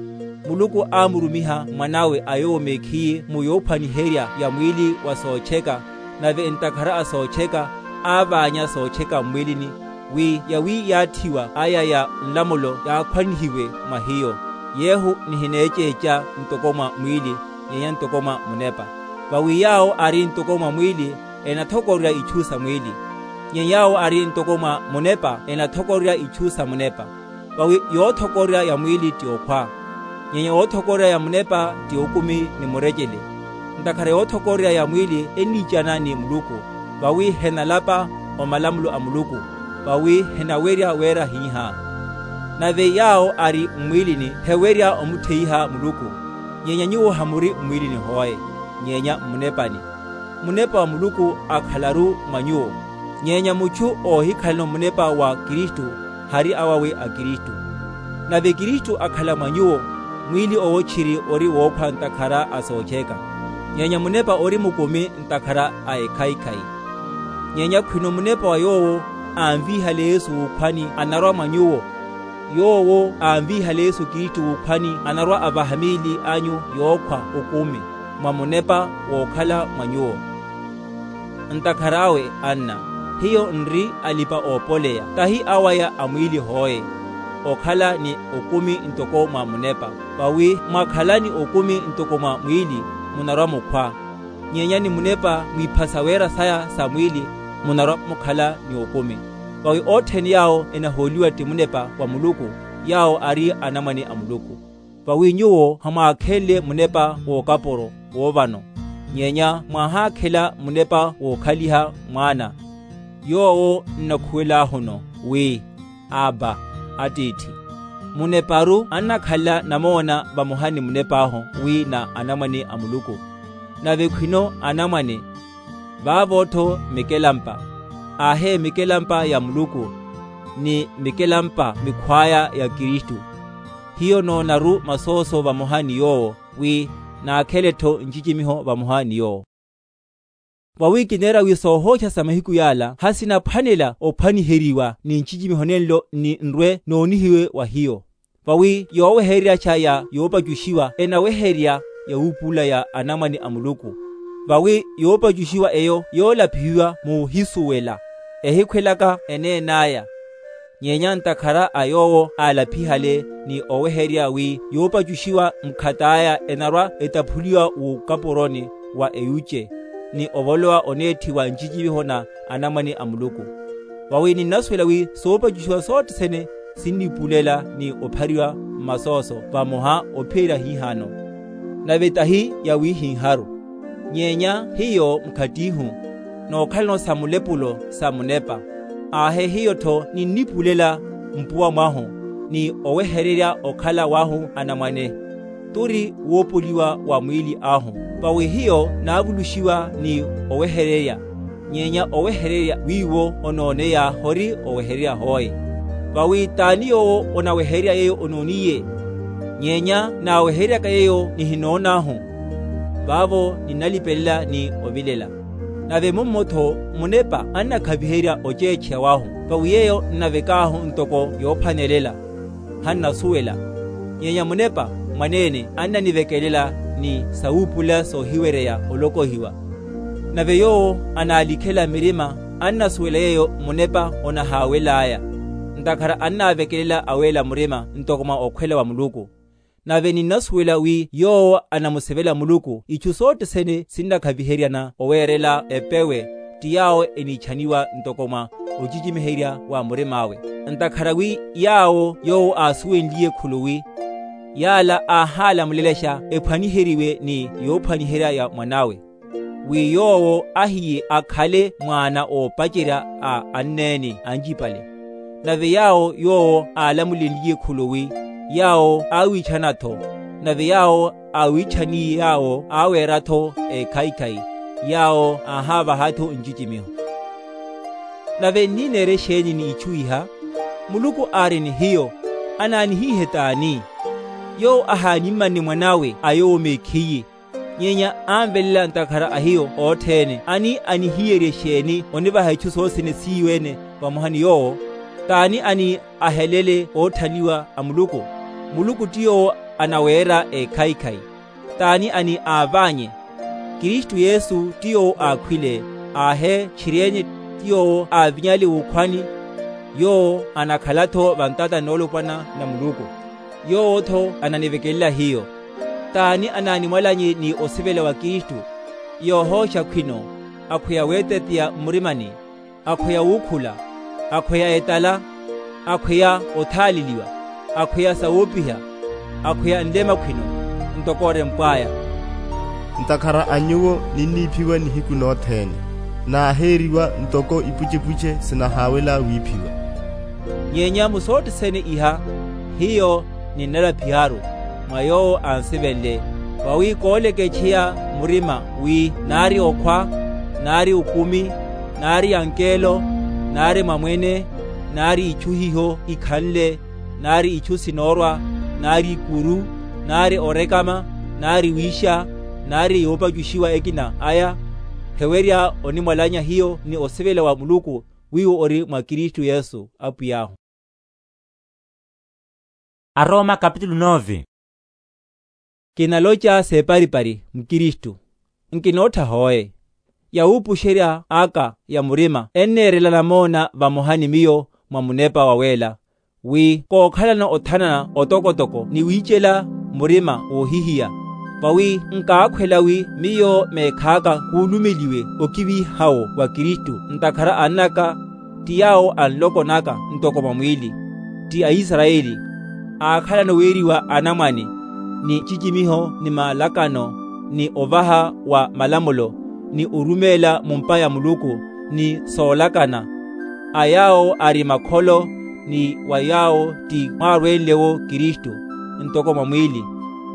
muluku aamurumiha mwan'awe a yowo mekhiye mu yoophwaniherya ya mwiili wa sootcheka. Nave ntakhara a sootcheka aavaanya sootcheka mmwiilini, wi yawi yaatthiwa aya ya nlamulo yaakhwanihiwe mwa hiyo. Yehu nihineeceeca ntoko mwa mwiili, nyenya ntoko mwa munepa. Vawi yaawo ari ntoko mwa mwiili enathokorerya ichu sa mwiili, nyenya yaawo ari ntoko mwa munepa enathokorerya ichu sa munepa. Vawi yoothokorerya ya mwiili ti okhwa, nyenya yoothokorerya ya munepa ti okumi ni murecele. Ntakhara yoothokorerya ya mwiili enniicana ni muluku, vawi henalapa omalamulo a muluku, vawi henawerya weera hiiha. Nave yaawo ari mmwiilini hewerya omutheiha muluku. Nyenya nyuwo hamuri mmwiilini hoe, nyenya mmunepani. Munepa wa muluku akhalaru mwa nyuwo. Nyenya muchu oohikhalano munepa wa kristu, hari awawe a kristu. Nave kristu akhala mwa nyuwo, mwiili owo tchiri ori wookhwa ntakhara a sootcheka, nyenya munepa ori mukumi ntakhara a ekhaikhai. Nyenya khwino munepa wa yoowo aanviihale yesu wuukhwani anarwa mwa nyuwo, yoowo aanviihale yesu kristu wuukhwani anarwa avaha miili anyu yookhwa okumi mwa munepa wookhala mwa nyuwo. Ntakhara awe anna, hiyo nri alipa-oopoleya tahi awaya a mwiili hoe, okhala ni okumi ntoko mwa munepa. Vawi mwakhala ni okumi ntoko mwa mwiili, munarwa mukhwa. Nyenya ni munepa mwiiphasa weera saya sa mwiili, munarwa mukhala ni okumi. Vawi othene yaawo enahooliwa ti munepa wa muluku, yaawo ari anamwane a muluku. Vawi nyuwo hamwaakhenle munepa wookapuro woovano, nyenya mwahaakhela munepa wookhaliha mwaana. Yoowo nnakhuwel'ahuno wi, abba, atiithi. Muneparu annakhalela namoona vamoha ni munep'ahu wi na anamwane a muluku. Nave khwino anamwane, vaavo-tho mikelampa, aahe mikelampa ya muluku, ni mikelampa mikhw'aya ya kristu. Hiyo noonaru masooso vamoha ni yoowo, wi naakhele-tho ncicimiho vamoha ni yoowo. Vawi kineera wi soohooxa sa mahiku yaala hasinaphwanela ophwaniheriwa ni ncicimiho nenlo ni nrwe noonihiwe wa hiyo. Vawi yoowehereryaxa ya yoopacuxiwa enawehererya yawuupulela ya anamwane a muluku. Vawi yoopacuxiwa eyo yoolaphihiwa muhisuwela, ehikhwelaka eneen'aya. Nyenya ntakhara a yoowo aalaphihale ni owehererya wi yoopacuxiwa mukhat'aya enarwa-etaphuliwa wukapuroni wa eyuce, ni ovolowa oneetthiwa ncicimiho na anamwane a muluku. Vawi ninnasuwela wi soopacuxiwa sothene sinnipulela ni ophariwa mmasooso vamoha ophiyerya hihano. Nave tahi yawihiharu, nyenya hiyo mukhattihu nookhalano sa mulepulo sa munepa, aahe hiyo-tho ninnipulela mpuwa mwahu, ni owehererya okhala wahu anamwane, turi woopoliwa wa mwiili ahu. Vawi hiyo naavuluxiwa ni owehererya, nyenya owehererya wiiwo onooneya hori owehererya hoe. Vawi t'ani yoowo onawehererya yeeyo onooniye? Nyenya naawehereryaka yeeyo nihinoon'ahu, vaavo ninnalipelela ni ovilela. Nave mummo-tho munepa annakhaviherya oceecheya wahu, vawi yeeyo nnavek'ahu ntoko yoophwanelela, hannasuwela. Nyenya munepa mwaneene annanivekelela ni sawuupulela soohiwereya olokohiwa. Nave yoowo anaalikhela mirima annasuwela yeeyo munepa onahaawel'aya, ntakhara annaavekelela aweela murima ntoko mwa okhwela wa muluku. Nave ninnasuwela wi yoowo anamusivela muluku ichu sothene sinnakhaviheryana oweerela epewe, ti yaawo eniichaniwa ntoko mwa ocicimiherya wa murim'awe. Ntakhara wi yaawo yoowo aasunwenliye khuluwi, yaala aahaalamulelexa ephwaniheriwe ni yoophwaniherya ya mwan'awe, wi yoowo ahiye akhale mwaana oopacerya a anneene ancipale. Nave yaawo yoowo aalamulenliye khuluwi, yaawo aawiichana-tho. Nave yaawo aawiichaniye yaawo aaweera-tho ekhaikhai, yaawo aahaavaha-tho ncicimiho. Nave nnineere exeeni ni ichu iha? Muluku aari ni hiyo, anaanihiihe t'ani? Yoowo ahaanimmanne mwan'awe a yoowo mekhiye, nyenya anvelela ntakhara a hiyo othene. Ani anihiyerye exeeni onivaha ichu sothene siiyo-ene vamoha ni yoowo? T'ani ani ahelele ootthaliwa a muluku? Muluku ti yoowo anaweera ekhaikhai. T'ani ani aavaanye? Kristu yesu ti yoowo aakhwile, aahe tchiri-ene ti yoowo aavinyale wuukhwani. Yoowo anakhala-tho vantatani noolopwana na muluku. Yoowo-tho ananivekelela hiyo. T'ani anaanimwalanye ni osivela wa kristu? Yoohooxa khwino, akhweya weeteteya mmurimani, akhweya wuukhula, akhweya etala, akhweya othaaleliwa, akhweya sawoopiha, akhweya nlema khwino, ntoko orempw'aya. Ntakhara a nyuwo ninniiphiwa nihiku nothene, naaheeriwa ntoko ipuchepuche sinahaawela wiiphiwa. Nyenya mu sothene iha, hiyo ninnalaphiharu mwa yoowo ansivenle. Vawi kooleketcheya murima wi naari okhwa, naari okumi, naari ankeelo, naari mwamwene, naari ichu hiho ikhanle, naari ichu sinoorwa, naari ikuru, naari orekama, naari wiixa, naari yoopacuxiwa ekina aya, hewerya onimwalanya hiyo ni osivela wa muluku, wiiwo ori mwa kristu yesu apwiy'ahu. Aroma kapitulu nove. Kinaloca seeparipari mukristu, nkinootha hoe. Yawuupuxerya aka ya murima enneerela namoona vamoha ni miyo mwa munepa waweela, wi kookhalana othanana otokotoko ni wiicela murima woohihiya. Vawi nkaakhwela wi miyo meekhaaka kuulumeliwe okivihawo wa kristu, ntakhara annaka ti yaawo a nloko naka ntoko mwa mwiili, ti aisarayeli, aakhalana weeriwa anamwane, ni ncicimiho ni malakano, ni ovaha wa malamulo, ni orumeela mumpa ya muluku, ni soolakana. A yaawo ari makholo, ni wa yaawo ti mwaarwenle-wo kristu, ntoko mwa mwiili,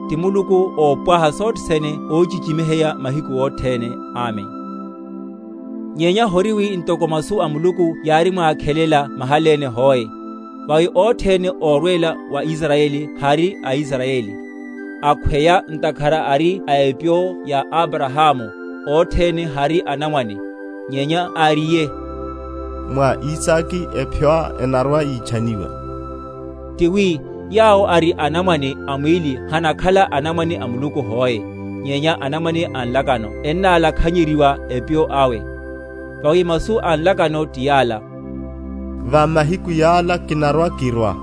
Ti muluku oopwaha sothene oochicimiheya mahiku othene. Amen. Nyenya hori wi ntoko masu a muluku yaarimwaakhelela mahaleene hoe. Vawi othene oorweela wa isarayeli hari a isarayeli. Akhweya ntakhara ari a epyo ya aparahaamu, othene hari anamwane. Nyenya aariye, mwa isaki epyo enarwa yiichaniwa. Tiwi, yaawo ari anamwane a mwiili hanakhala anamwane a muluku hoe, nyenya anamwane a nlakano ennaalakhanyeriwa epyo awe. Vawi masu a nlakano ti yaala, va mahiku yaala kinarwa kirwa,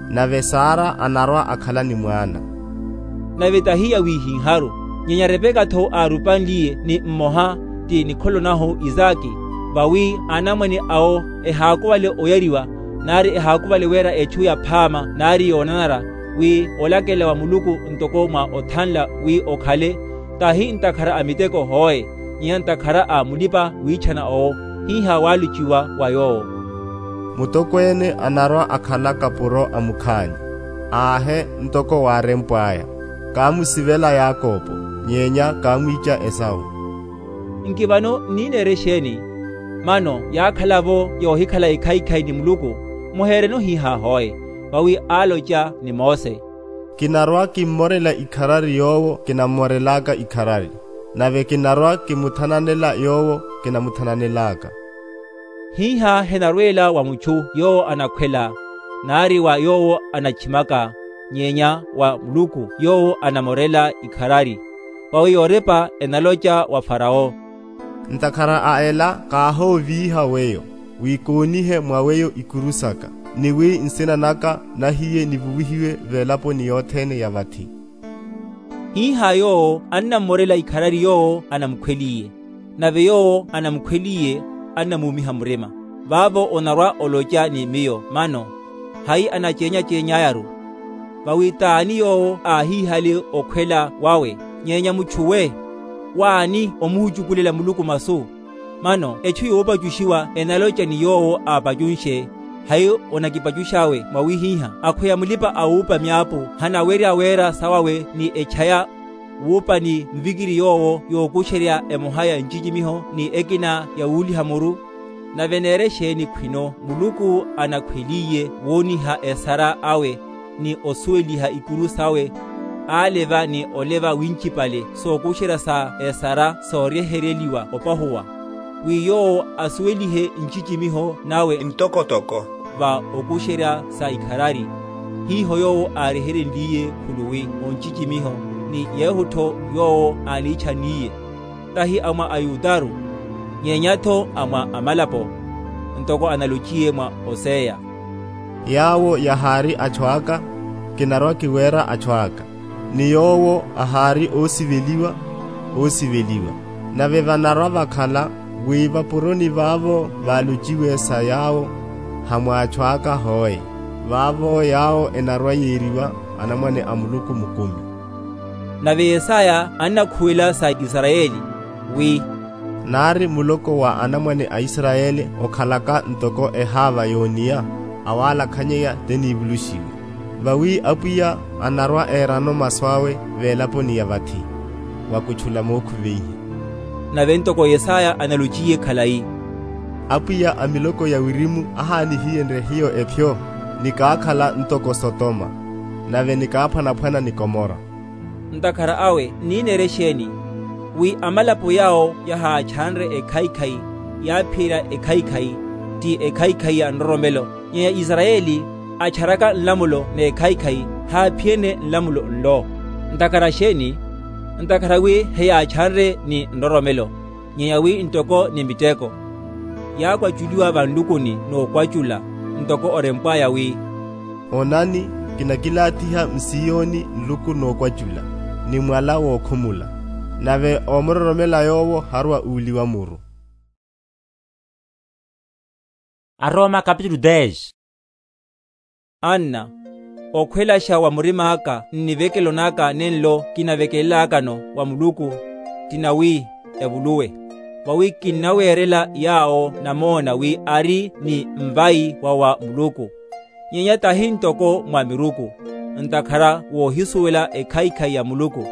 nave sara anarwa akhala ni mwaana. Nave tahiya wiihinharu, nyenya repeka-tho aarupanliye ni mmoha, ti nikholo nahu isaki. Vawi anamwane awo ehaakuvale oyariwa, nari ehaakuvale wira echu yaphaama nari yoonanara, wi olakela wa muluku ntoko mwa othanla wi okhale, tahi ntakhara a miteko hoe, nyenya ntakhara a mulipa-wiichana owo. Hiha waalochiwa wa yoowo, mutokweene anarwa akhala kapuro a mukhaani, aahe ntoko waarempw'aya, kaamusivela yakopo, nyenya kaamwiica esawu. Nki vano nniineere exeeni? Mano yaakhala-vo yoohikhala ekhaikhai ni muluku? Muheereno hiha hoe. Vawi aaloca ni mose, kinarwa kimmorela ikharari yoowo kinammorel'aka ikharari, nave kinarwa kimuthananela yoowo kinamuthananel'aka. Hiha henarweela wa muchu yoowo anakhwela, nari wa yoowo anachimaka, nyenya wa muluku yoowo anamorela ikharari. Vawi yoorepa enaloca wa farawo, ntakhara a ela kaahooviiha weyo, wi koonihe mwa weyo ikuru saka, ni wi nsina naka nahiye nivuwihiwe velaponi yothene ya vathi. Hiha yoowo annammorela ikharari yoowo anamukhweliye, nave yoowo anamukhweliye annamuumiha murima. Vaavo onarwa oloca ni miyo, mano, hai anaceenya-ceenyayaru? Vawi t'ani yoowo aahihale okhwela wawe, nyenya muchuwe? W'ani omuhucukulela muluku masu? Mano echu yoopacuxiwa enaloca ni yoowo aapacunxe, hai onakipacux'awe mwawihiha? Akhweya mulipa-awuupa myaapu hanawerya wira sawawe ni echaya, wuupa ni mvikiri yoowo yookuxerya emoha ya ncicimiho ni ekina ya wuuliha muru. Nave neere exeeni khwino muluku anakhweliye wooniha esara awe ni osuweliha ikuru sawe, aaleva ni oleva wincipale sookuxerya sa esara sooryeheryeliwa opahuwa, wi yoowo asuwelihe ncicimiho nawe ntokotoko va okuxerya sa ikharari. Hiho yoowo aareherenliye khuluwi oncicimiho, ni yehu-tho yoowo aaniichaniye, tahi a mwa ayudaru, nyenya-tho a mwa amalapo, ntoko analochiye mwa oseya, yaawo yahaari achu aka, kinarwa-kiweera achu aka, ni yoowo ahaari oosiveliwa, oosiveliwa. Nave vanarwa vakhala wi vapuroni vaavo vaalociwe sa yaawo, ha mwaachu aka hoe, vaavo yaawo enarwa-yeeriwa anamwane a muluku mukumi. Nave yesaya annakhuwela sa isarayeli, wi, naari muloko wa anamwane a isarayeli okhalaka ntoko ehaava yooniya, awaalakhanyaya te niivuluxiwe. Vawi apwiya anarwa-eerano masu awe veelaponi ya vathi, wakutchula mookhuveihe. Nave ntoko yesaya analochiye khalayi, apwiya a miloko ya wirimu ahaanihiyenrye hiyo ephyo, nikaakhala ntoko sotoma, nave nikaaphwanaphwana ni komora. Ntakhara awe nniineera exeeni? Wi amalapo yaawo yahaachanre ekhaikhai, yaaphiyerya ekhaikhai, ti ekhaikhai ya nroromelo. Nyenya isarayeli acharaka nlamulo n'ekhaikhai, haaphiyene nlamulo nlo. Ntakhara xeeni? Ntakhara wi heyaachanre ni nroromelo, nyenya wi ntoko ni miteko. Yaakwaculiwa vanlukuni n'okwacula, ntoko orempw'aya wi, onani, kinakilaathiha msiyoni nluku n'okwacula, ni mwala wookhumula, nave oomuroromela yoowo harwa uuliwa muru. Aroma kapitulu dez. Anna, okhwelaxa wa murim'aka nnivekelo n'aka nenlo kinavekelel'akano wa muluku, ti nawi, evuluwe. Vawi kinnaweerela yaawo namoona wi ari ni nvayi wa wa muluku, nyenya tahi ntoko mwa miruku. ntakhara woohisuwela ekhaikhai ya muluku.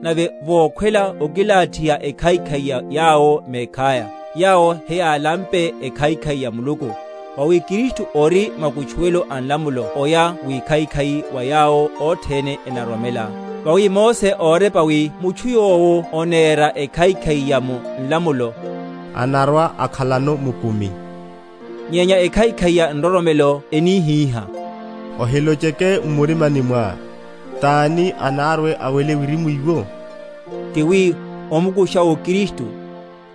Nave vookhwela okilaathiha ekhaikhai ya yaawo meekhaya, yaawo heyaalampe ekhaikhai ya muluku. Vawi kristu ori makutchuwelo a nlamulo oya wikhaikhai wa yaawo othene enaroromela. Vawi mose oorepa wi mutthu yoowo oneera ekhaikhai ya mu nlamulo anarwa akhalano mukumi. Nyenya ekhaikhai ya nroromelo enihiiha, ohiloceke mmurimani mwaa, t'ani anaarwe awele wirimu iwo? Ti wi omukuxa okristu.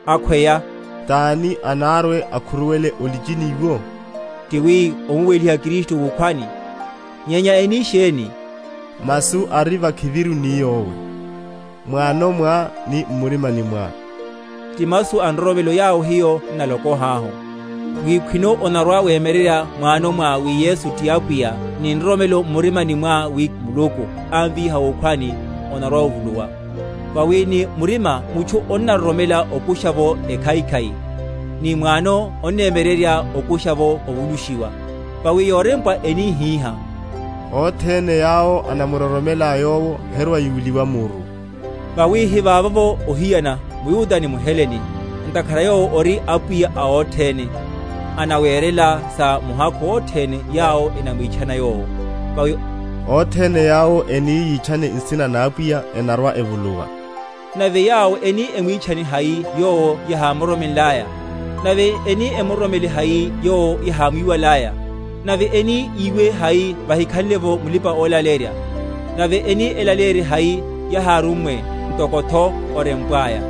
Akhweya, t'ani anaarwe akhuruwele olicini iwo? Ti wi omuweliha kristu wukhwani. Nyenya eni xeeni? Masu ari vakhiviru ni yoowe, mwaano mwaa ni mmurimani mwaa. Ti masu a nroromelo yaawo hiyo nnalokoh'ahu, wi khwino onarwa weemererya mwaano mwaa wi yesu ti apwiya, ni nroromelo mmurimani mwaa wi muluku anviiha wukhwani, onarwa ovuluwa. Vawi ni murima mutthu onnaroromela okuxa-vo ekhaikhai, ni mwaano onneemererya okuxa-vo ovuluxiwa. Vawi yoorempwa enihiiha, othene yaawo anamuroromela yoowo herwa-yuuliwa muru. Vawi hivaavo-vo ohiyana muyuta ni muheleni, ntakhara yoowo ori apwiya a othene, anaweerela sa muhakhu othene yaawo enamwiitxana yoowo. Vawi othene yaawo eniiyiitxane nsina n'apwiya enarwa-evuluwa. Nave yaawo eni emwiitxane hayi yoowo yahaamuroromenl'aya? Nave eni emuroromele hayi yoowo yahaamwiiwal'aya? Nave eni iiwe hayi vahikhanle-vo mulipa-oolaleerya? Nave eni elaleerye hayi yahaarummwe ntoko-tho orempw'aya?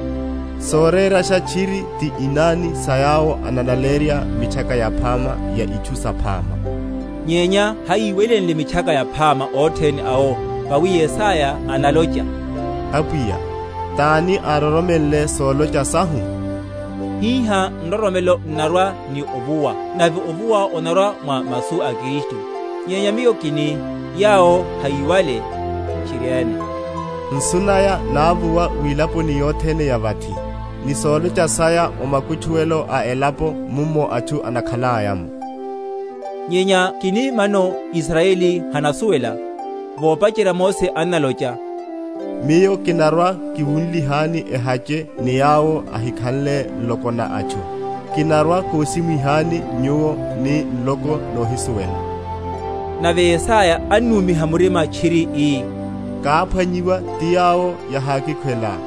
Sooreeraxa txiri ti inaani sa yaawo analaleerya mitthaka yaphaama ya itthu saphaama. Nyenya hayiiwelenle mitthaka yaphaama othene awo. Vawi yesaya analoca, apwiya, t'ani aaroromenle sooloca sahu? Hiiha nroromelo nnarwa ni ovuwa, nave ovuwa onarwa mwa masu a kristu. Nyenya miyo kini, yaawo hayiiwale. Txiri-ene, nsu naya naavuwa wilaponi yothene ya vatthi, ni sooloca saya omakutthuwelo a elapo mummo atthu anakhal'aya-mo. Nyenya kini vano isarayeli hanasuwela, voopacerya mose annaloca, miyo kinarwa-kiwunlihaani ehace ni yaawo ahikhanle nloko na atthu, kinarwa-koosimwihaani nyuwo ni nloko noohisuwela. Nave yesaya annuumiha murima txiri ii, kaaphwanyiwa ti yaawo yahaakikhwela,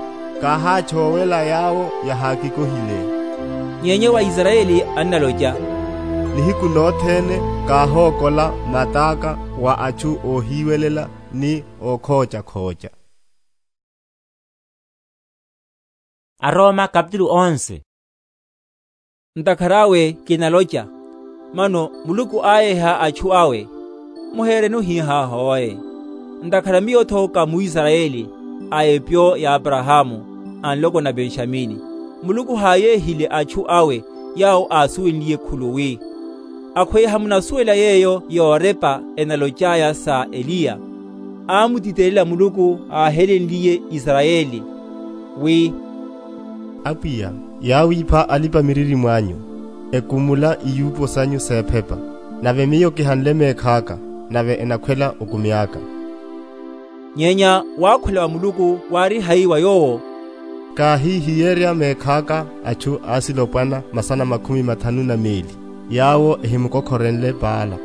kaahaachoowela yaawo yahaakikohile. Nyenya wa isarayeli annaloca, nihiku nothene kaahookola mat'aka wa atthu oohiiwelela ni ookhoocakhooca. Aroma kapitulu onse. Ntakhara awe kinaloca, mano muluku aayeha atthu awe, muheereni ohiihaaha oye. Ntakhara miyo-tho ka mwisarayeli, a epyo ya aparahaamu, a nloko na penxamini. Muluku haayeehile atthu awe yaawo aasuwenliye khulu wi, akhweya hamunasuwela yeeyo yoorepa enaloc'aya sa eliya, aamutitelela muluku aahelenliye isarayeli, wi, apwiya, yaawipha alipa-miririmo anyu, ekumula iyuupo sanyu s'ephepa, nave miyo kihanle meekh'aka, nave enakhwela okumi aka. Nyenya waakhula wa muluku waari hayi wa yoowo, kaahiihiyerya meekh'aka atthu aasilopwana masana makhumi mathanu na meeli, yaawo ehimukokhorenle paala.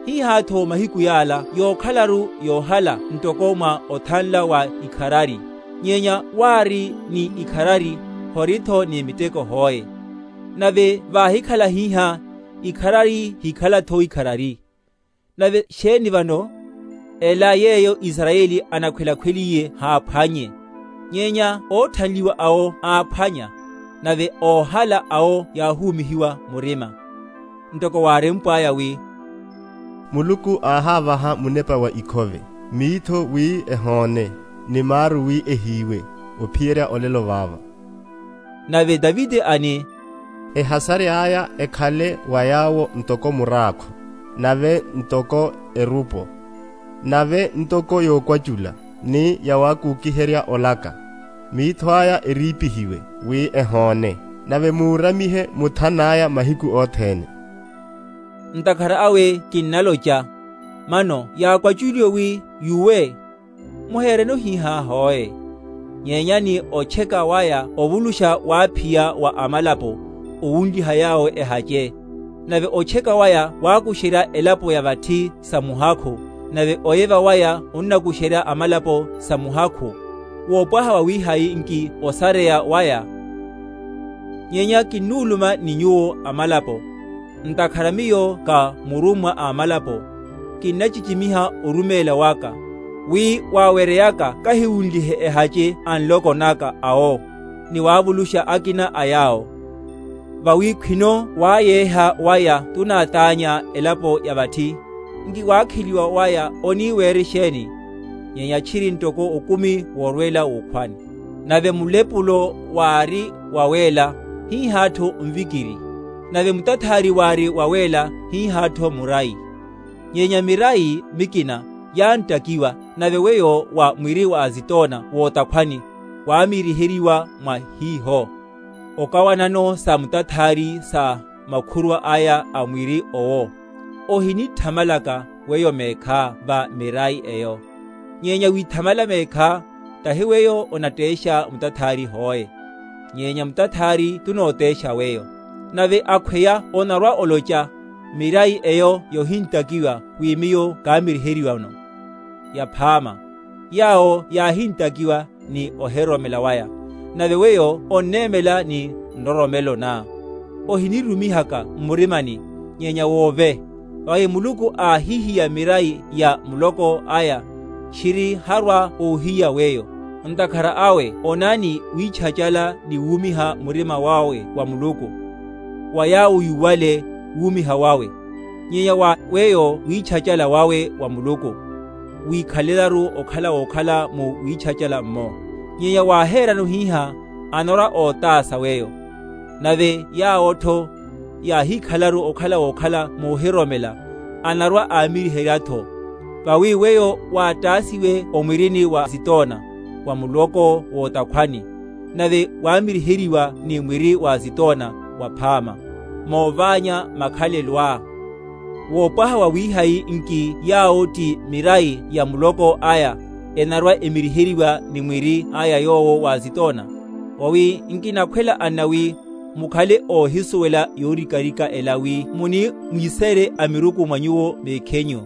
Hiiha-tho mahiku yaala yookhalaru yoohala ntoko mwa othanla wa ikharari, nyenya waari ni ikharari, hori-tho ni miteko hoe. Nave vaahikhala hiiha, ikharari hiikhala-tho ikharari. Nave xeeni vano? Ela yeeyo isarayeli anakhwelakhweliye haaphwanye, nyenya ootthanliwa awo aaphwanya, nave oohala awo yaahuumihiwa murima. Ntoko waarempw'aya wi, muluku aahaavaha munepa wa ikhove, miitho wi ehoone, ni maaru wi ehiiwe, ophiyerya olelo vaava. Nave taviti ani, ehasary'aya ekhale wa yaawo ntoko muraakhwa, nave ntoko erupo, nave ntoko yookwacula, ni yawaakuukiherya olaka. Miitho aya eriipihiwe wi ehoone, nave muuramihe muthan'aya mahiku othene. Ntakhara awe kinnaloca, Mano yaakwaculiwe wi yuwe muheerene ohiiha hoe. Nyenya ni ocheka waya ovuluxa waaphiya wa amalapo owunliha yawo ehace. Nave ocheka waya waakuxerya elapo ya vatthi sa muhakhu, nave oyeva waya onnakuxerya amalapo sa muhakhu. Woopwaha wawihayi nki osareya waya? Nyenya kinnuuluma ni nyuwo amalapo, ntakhara miyo ka murummwa a amalapo, kinnacicimiha orumeela waka, wi waawereyaka kahiwunlihe ehace a nloko naka awo, ni waavuluxa akina a yaawo. Vawi khwino waayeeha waya tunaataanya elapo ya vatthi, nki waakheliwa waya oniiweera exeeni? Nyenya txiri ntoko okumi woorweela wuukhwani. Nave mulepulo waari waweela, hiihaattho nvikiri. Nave mutathaari waari waweela, hiihaattho murayi. Nyenya mirayi mikina yaanttakiwa, nave weyo wa mwiri wa azitoona wootakhwani waamiriheriwa mwa hiiho. Okawanano sa mutathaari sa makhurwa aya a mwiri owo, ohinitthamalaka weyo meekha va mirayi eyo. Nyenya wiithamala meekha, tahi weyo onatteexa mutathaari hoe, nyenya mutathaari tunooteexa weyo. Nave akhweya onarwa-oloca, mirayi eyo yohinttakiwa wi miyo kaamiriheriwano. Yaphaama, yaawo yaahinttakiwa ni ohiroromela waya, nave weyo onneemela ni nroromelo na. Ohinirumihaka mmurimani, nyenya woove. Vawi muluku aahihiya mirayi ya muloko aya, txiri harwa oohiya weyo. Ntakhara awe onani wiitchacala ni wuumiha murima wawe wa muluku, wa yaawo yuwale wuumiha wawe. Nyenya wa weyo wiitchacala wawe wa muluku, wiikhalelaru okhala wookhala mu wiitchacala-mmo. Nyenya waaheerana ohiiha, anarwa-ootaasa weyo. Nave yaawo-tho yaahikhalaru okhala wookhala moohiroromela, anarwa-aamiriherya-tho. Vawi weyo waattaasiwe omwirini wa azitoona, wa muloko wootakhwani, nave waamiriheriwa ni mwiri wa azitoona waphaama, moovaanya makhalelo aa. Woopwaha wawihayi nki yaawo ti mirayi ya muloko aya enarwa-emiriheriwa ni mwiri aya yoowo wa azitoona? Vawi nkinakhwela anna wi mukhale oohisuwela yoorikarika ela wi munimwiiseerye amiruku mwa nyuwo meekhenyu,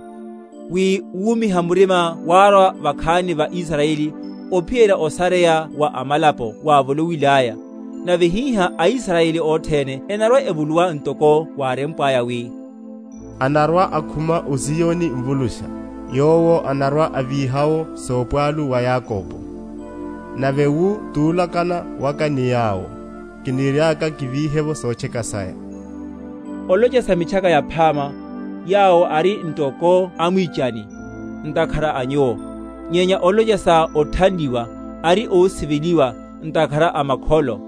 wi wuumiha murima waarwa vakhaani va isarayeli, ophiyerya osareya wa amalapo waavolowil'aya. Nave hiiha aisarayeli othene enarwa-evuluwa ntoko waarempw'aya wi, anarwa-akhuma osiyoni nvuluxa, yoowo anarwa-aviiha-wo soopwaalu wa yakopo. Nave wu tuulakana waka ni yaawo, kiniry'aka kiviihe-vo soocheka saya. Oloca sa mitchaka yaphaama, yaawo ari ntoko amwiicani ntakhara a nyuwo, nyenya oloca sa otthanliwa ari oosiveliwa ntakhara a makholo.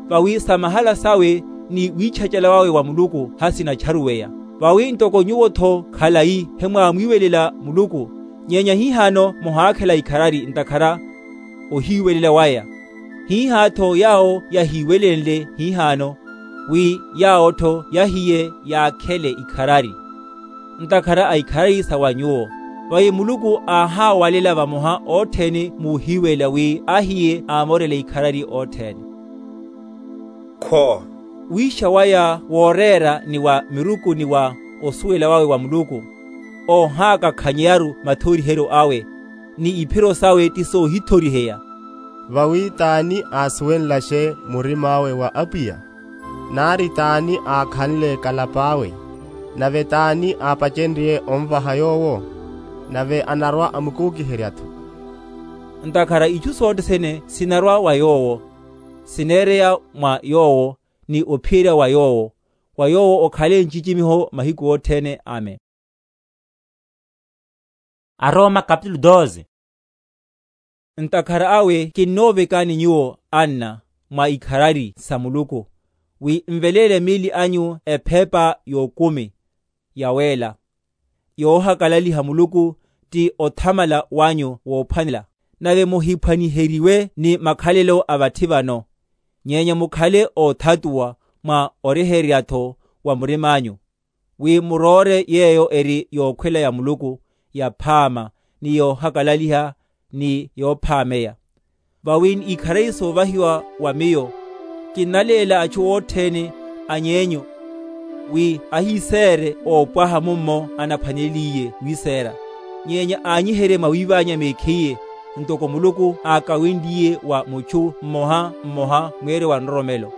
Vawi sa mahala sawe ni wiitchacala wawe wa muluku hasinatcharuweya. Vawi ntoko nyuwo-tho khalayi hemwaamwiiwelela muluku, nyenya hiihano muhaakhela ikharari ntakhara ohiiwelela waya. Hiiha-tho yaawo yahiiwelenle hiihano, wi yaawo-tho yahiye yaakhele ikharari ntakhara a ikharari sa wa nyuwo. Vawi muluku aahaawalela vamoha othene muuhiiwelela wi ahiye aamorele ikharari othene. Kho wiixa waya wooreera ni wa miruku ni wa osuwela wawe wa muluku, oohaakakhanyeyaru mathoriheryo awe, ni iphiro sawe ti soohithoriheya. Vawi t'ani aasuwenlaxe murim'awe wa apwiya? Nari t'ani aakhanle kalap'awe? Nave t'ani aapacenrye onvaha yoowo? Nave anarwa-amukuukiherya-tho. Ntakhara ichu sothene sinarwa wa yoowo, sineereya mwa yoowo, ni ophiyerya wa yoowo, wa yoowo okhale ncicimiho mahiku othene. Amen. Aroma kapitulu doze. Ntakhara awe kinnoovekani nyuwo anna mwa ikharari sa muluku, wi nveleele miili anyu ephepa y'okumi yaweela, yoohakalaliha muluku, ti othamala wanyu woophwanela. Nave muhiphwaniheriwe ni makhalelo a vatthi vano, nyenya mukhale oothatuwa mwa orehererya-tho wa murim'anyu, wi muroore yeeyo eri yookhwela ya muluku, yaphaama, ni yoohakalaliha, ni yoophameya. Vawi ni ikharari soovahiwa wa miyo, kinnaleela achu othene any'enyu, wi ahiseere oopwaha mummo anaphwaneliye wiseera, nyenya aanyiherye mwawiivanya mekhiye, ntoko muluku aakawinliye wa muchu mmoha mmoha mweeryo wa nroromelo.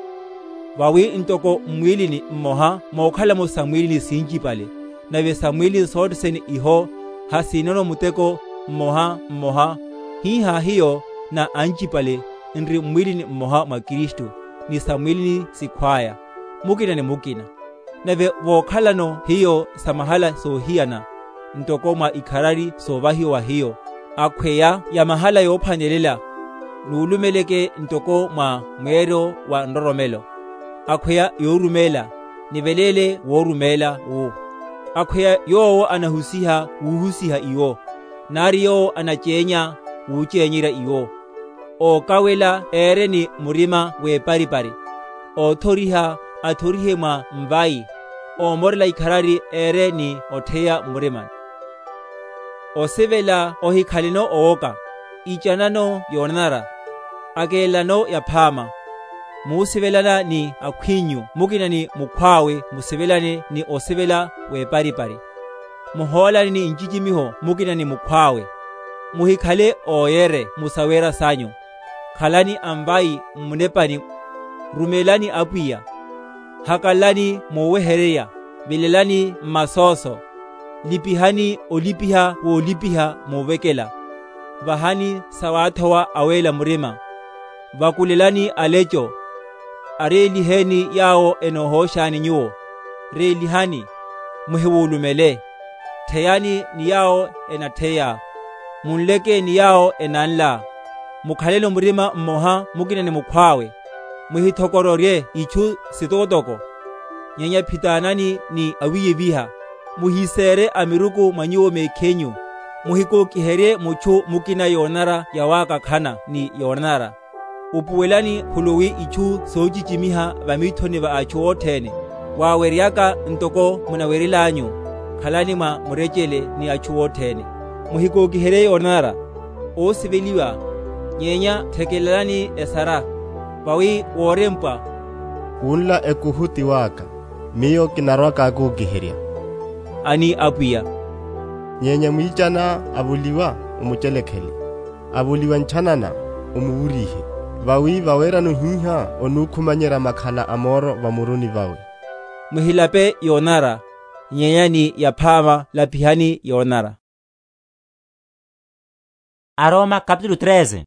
Vawi ntoko mmwiilini mmoha mookhalamo samwiilini sincipale, nave samwiilini sothene iho, hasiinono muteko mmoha mmoha, hiiha hiyo na ancipale nri mmwiilini mmoha mwa kristu, ni samwiilini sikhw'aya, mukina ni mukina. Nave vookhalano hiyo sa mahala soohiyana, ntoko mwa ikharari soovahiwa wa hiyo, akhweya ya mahala yoophwanelela, nuulumeleke ntoko mwa mweeryo wa nroromelo, akhweya yoorumeela, niveleele woorumeela wu, akhweya yoowo anahusiha wuuhusiha iwo, nari yoowo anaceenya wuuceenyerya iwo. Ookawela eere ni murima w'eparipari, oothoriha athorihe mwa mvayi, oomorela ikharari eere ni otheya mmurimani. Osivela ohikhaleno owoka, icanano yoonanara, akeelelano yaphaama. Muusivelana ni akhw'inyu mukina ni mukhw'awe musivelane ni osivela w'eparipari, muhoolane ni ncicimiho mukina ni mukhw'awe. Muhikhale ooyere mu saweera sanyu, khalani anvayi mmunepani, rumeelani apwiya, hakalalani moowehererya, vilelani mmasooso, lipihani olipiha woolipiha moovekela, vahani sawaathowa aweela murima, vakulelani aleco, areeliheeni yaawo enoohooxani nyuwo, reelihani, muhiwulumele, theyani ni yaawo enatheya, munleke ni yaawo enanla, mukhaleno murima mmoha mukina ni mukhw'awe, muhithokororye ichu sitokotoko, nyenya phitaanani ni awiiyeviha, muhiseere amiruku mwa nyuwo mekhinyu, muhikookiherye muchu mukina yoonanara yawaakakhana ni yoonanara. Upuwelani khuluwi ichu soocicimiha vamiithoni va achu othene, waaweryaka ntoko munawerel'anyu, khalani mwa murecele ni achu othene, muhikookiherye yoonanara, oosiveliwa, nyenya thekelelani esara, vawi woorempwa, Wunla ekuhu ti w'aka, miyo kinarwa-kaakuukiherya, ani apwiya. Nyenya mwiicana avuliwa, omucelekhele, avuliwa nchanana, omuwurihe, vawi vaweerano hiiha onuukhumanyerya makhala a mooro vamuruni vawe. Muhilape yoonanara, nyenya ni yaphaama lapihani yoonanara. Aroma kapitulu treze.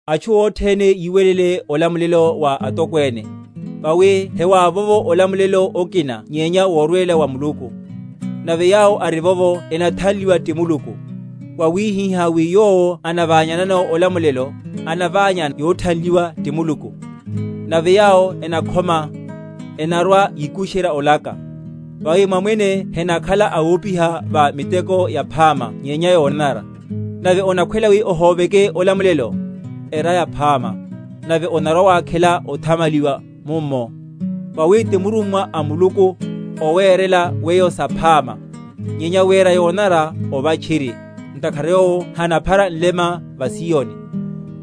Achu othene yiiwelele olamulelo wa atokweene, vawi hewaavovo olamulelo okina nyenya woorweela wa muluku. Nave yaawo arivovo enathanliwa ti muluku, wawihiha wi yoowo anavaanyanano olamulelo, anavaanya yoothanliwa ti muluku. Nave yaawo enakhoma, enarwa yiikuxerya olaka, vawi mwamwene henakhala awoopiha va miteko yaphaama nyenya yoonanara. Nave onakhwela wi ohooveke olamulelo, era yaphaama, nave onarwa waakhela othamaliwa mummo. Vawi ti murummwa a muluku oweerela weyo saphaama, nyenya wira yoonanara ova txiri, ntakhara yoowo hanaphara nlema va siyoni.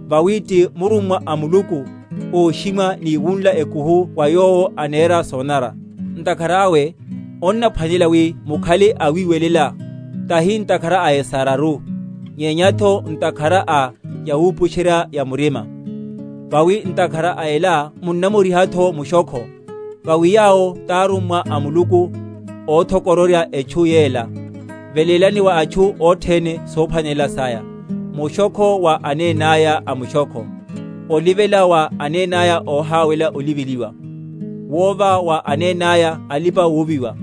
Vawi ti murummwa a muluku ooximwa ni wunla ekuhu wa yoowo aneera soonanara. Ntakhara awe onnaphwanela wi mukhale awiiwelela, tahi ntakhara a esararu, nyenya-tho ntakhara a yawuupuxerya ya murima. Vawi ntakhara a ela munnamuriha-tho muxokho, vawi yaawo t'arummwa a muluku oothokororya etchu yeela. Veleelani wa achu othene soophwanelela saya, muxokho wa aneen'aya a muxokho, olivela wa aneen'aya oohaawela oliveliwa, woova wa aneen'aya alipa-wuuviwa,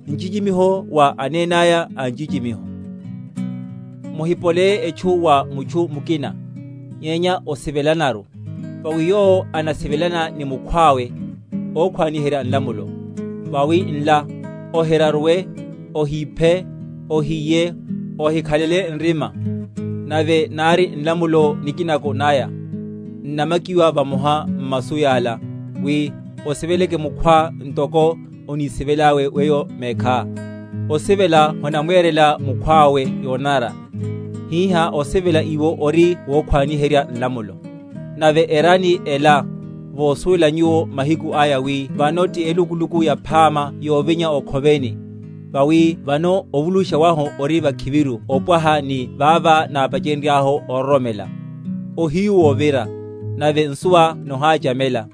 ncicimiho wa aneen'aya a ncicimiho. Muhipoleeye etchu wa muchu mukina, nyenya osivelanaru, vawi yoowo anasivelana ni mukhw'awe ookhwaaniherya nlamulo. Vawi nla, ohiraruwe, ohiiphe, ohiiye, ohikhalele nrima. Nave naari nlamulo nikinako naya, nnamakiwa vamoha mmasu yaala, wi osiveleke mukhwa ntoko onisivel'awe weyo meekha. Osivela honamweerela mukhw'awe yoonanara. Hiiha osivela iwo ori wookhwaaniherya nlamulo. Nave erani ela, voosuwela nyuwo mahiku aya wi vano ti elukuluku yaphaama yoovinya okhoveni. Vawi vano ovuluxa wahu ori vakhiviru opwaha ni vaava naapacenry'ahu ororomela. Ohiyu woovira, nave nsuwa nohaacamela.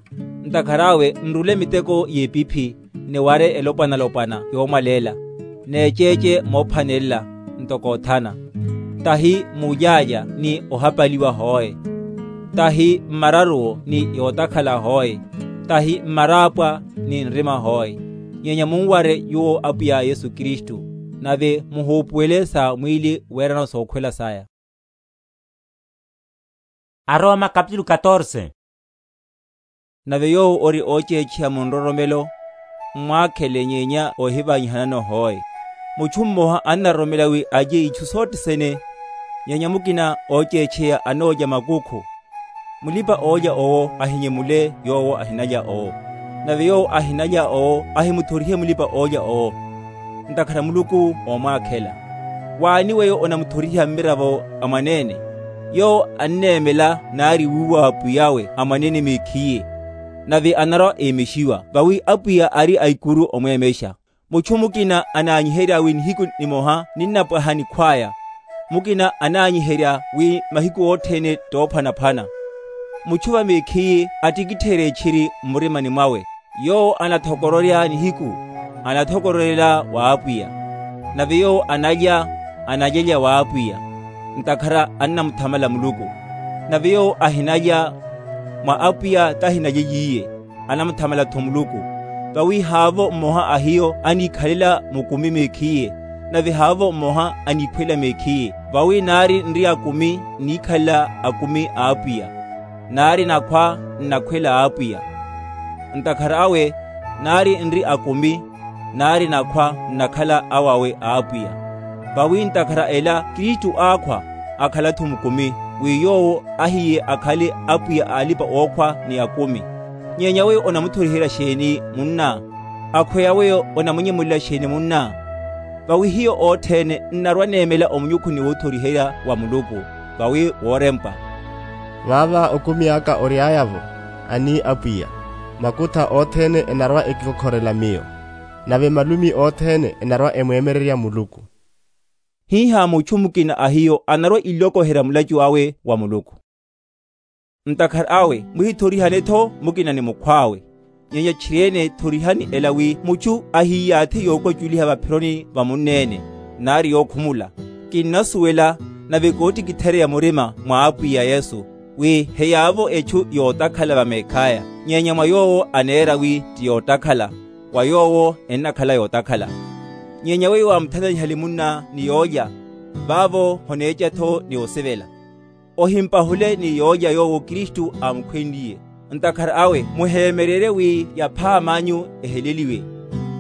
Ntakhara awe nrule miteko y'epiphi, niware elopwana-lopwana yoomwaleela, n'eceece moophwanelela, ntoko othana. Tahi mulyalya ni ohapaliwa hoe, tahi mmararuwo ni yootakhala hoe, tahi mmaraapwa ni nrima hoe. Nyenya munware nyuwo apwiya yesu kristu, nave muhuupuwele sa mwiili weerano sookhwela saya. Aroma kapitulu katorse. Nave yoowo ori ooceecheya mu nroromelo, mmwaakhele nyeenya oohivanyihanano hoe. Muchu mmoha annaroromela wi alye ichu sothene, nyeenya mukina ooceecheya anoolya makukhu. Mulipa-oolya owo ahinyemule yoowo ahinalya owo, nave yoowo ahinalya owo ahimuthorihe mulipa-oolya owo. Ntakhara muluku oomwaakhela. Waani weyo onamuthoriha mmiravo a mwaneene? Yoowo anneemela nari wuuwa apwiy'awe a mwaneene mekhiye, nave anarwa-eemexiwa vawi apwiya ari a ikuru omweemexa. Muchu mukina anaanyiherya wi nihiku nimoha ninnapwaha nikhw'aya, mukina anaanyiherya wi mahiku othene t'ophwanaphwana. Muchu va mekhiye attikittheerye etchiri mmurimani mwawe. Yoowo anathokororya nihiku, anathokorolela w'apwiya. Nave yoowo analya, analyelya w'apwiya, ntakhara annamuthamala muluku. Nave yoowo ahinalya, mwa apwiya tahinalyeyiye, anamuthamala-tho muluku. Vawi haavo mmoha a hiyo aniikhalela mukumi mekhiye, nave haavo mmoha aniikhwela mekhiye. Vawi nari nri akumi niikhalela akumi a apwiya, nari nakhwa nnakhwela apwiya. Ntakhara awe nari nri akumi, nari nakhwa nnakhala awawe a apwiya. Vawi ntakhara ela kristu aakhwa, akhala-tho mukumi, wi yoowo ahiye akhale apwiya a alipa-ookhwa ni akumi. Nyenya weyo onamuthoriherya xeeni munna? Akhweya weyo onamunyemulela xeeni munna? Vawi hiyo othene nnarwa-neemela omunyukhuni w'othoriherya wa muluku, vawi woorempwa. Vaava okumi aka ory'aya-vo, ani apwiya, makutha othene enarwa-ekikhokholela miyo, nave malumi othene enarwa-emweemererya muluku. Hiiha muchu mukina a hiyo anarwa-ilokoherya mulachu awe wa muluku. Ntakhara awe muhithorihane-tho mukina ni mukhw'awe. Nyenya tchiri-ene thorihani ela wi muchu ahiyaathi yookwaculiha vaphironi va munneene, nari yookhumula. Kinnasuwela, nave koottikithereya murima mwa apwiya yesu, wi heyaavo echu yootakhala vameekh'aya, nyenya mwa yoowo aneera wi ti yootakhala, wa yoowo ennakhala yootakhala. Nyenya weyo waamuthananihale munna ni yoolya, vaavo honeeca-tho ni osivela. Ohimpahule ni yoolya yoowo kristu aamukhwenliye. Ntakhara awe muheemererye wi yaphaam'anyu eheleliwe.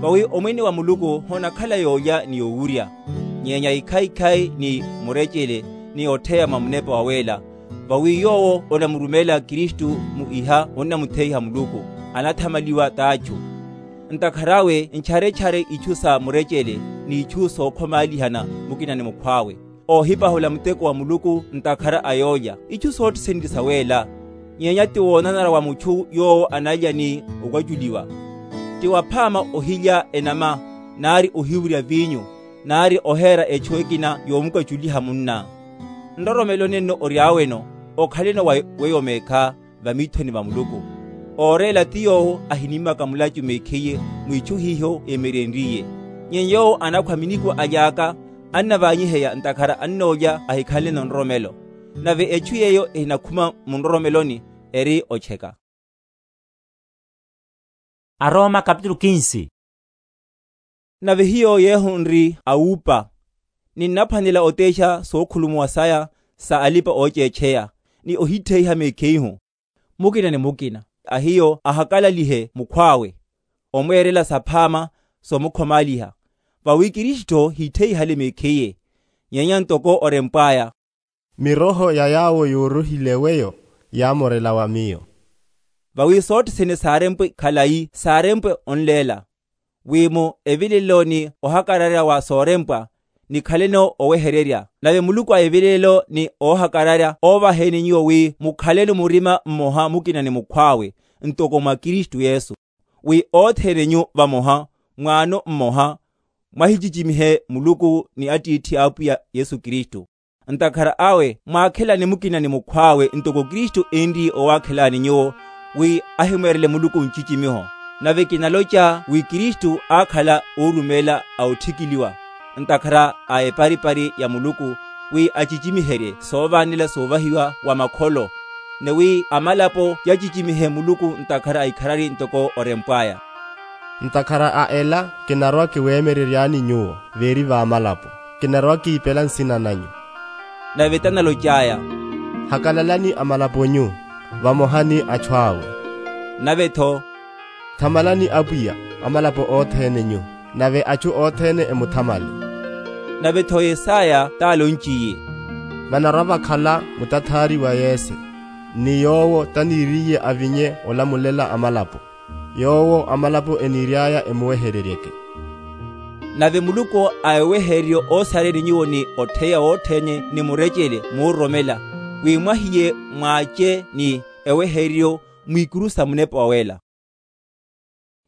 Vawi omwene wa muluku honakhala yoolya ni yowurya, nyenya ikhaikhai ni murecele, ni otheya mwa munepa waweela. Vawi yoowo onamurumelela kristu mu iha onnamutheiha muluku, anathamaliwa t'achu. Ntakhara awe ntcharetchare ichu sa murecele, n'ichu sookhomaalihana mukina ni mukhw'awe, oohipahula muteko wa muluku ntakhara a yoolya. Ichu sothene ti saweela, nyenya ti woonanara wa muchu yoowo analya ni okwaculiwa. Ti waphaama ohilya enama, nari ohiwurya vinyu, nari oheera echu ekina yoomukwaculiha munna. Nroromeloni nno ory'aweno, okhaleno wa weyo meekha, vamiithoni va muluku. Ooreela ti yoowo ahinimmaka mulachu mekhiye, mwichu hiho emerenryiye. Nyenya yoowo anakhwa miniku aly'aka, annavaanyiheya ntakhara annoolya ahikhanleno nroromelo. Nave echu yeeyo ehinakhuma munroromeloni, eri ocheka. Aroma kapitulu kinsi. Nave hiyo yeehu nri awuupa, ninnaphwanela oteexa sookhulumuwa saya sa alipa-ooceecheya, ni ohittheiha mekheihu. Mukina ni mukina a hiyo ahakalalihe mukhw'awe, omweerela saphaama, soomukhomaliha. Vawi kristu hiittheihale mekheiye, nyenya ntoko orempw'aya, miroho ya yaawo yooruhile weyo yaamorela wa miyo. Vawi sothene saarempwe khalayi saarempwe onleela. wi mu evilelo ni ohakararya wa soorempwa, nikhaleno owehererya. Nave muluku a evilelo ni oohakararya oovaheni nyuwo wi mukhaleno murima mmoha mukina ni mukhw'awe, ntoko mwa kristu yesu, wi othene nyu vamoha, mwaano mmoha, mwahicicimihe muluku ni attiithi a apwiya yesu kristu. Ntakhara awe mwaakhelani mukina ni mukhw'awe ntoko kristu eenriye owaakhelani nyuwo, wi ahimweerele muluku ncicimiho. Nave kinaloca wi kristu aakhala oorumeela a otthikiliwa, ntakhara a eparipari ya muluku, wi acicimiherye soovanela soovahiwa wa makholo, ni wi amalapo yacicimihe muluku ntakhara a ikharari ntoko orempw'aya. Ntakhara a ela kinarwa-kiweemereryaani nyuwo veeri v'amalapo, kinarwa-kiipela nsina nanyu. Nave tanaloc'aya, hakalalani amalaponyu, vamoha ni achu awe. Nave-tho, thamalani apwiya, amalapo othene nyu, nave achu othene emuthamale. Nave-tho yesaya taalonciye, vanarwa-vakhala mutathaari wa yese, ni yoowo taniiriye avinye olamulela amalapo, yoowo amalapo eniiry'aya emuwehereryeke. Nave muluku a ewehereryo oosareni nyuwo ni otheya wothene ni murecele muuroromela, wi mwahiye mwaace ni ewehereryo mwiikuru sa munepa wawela.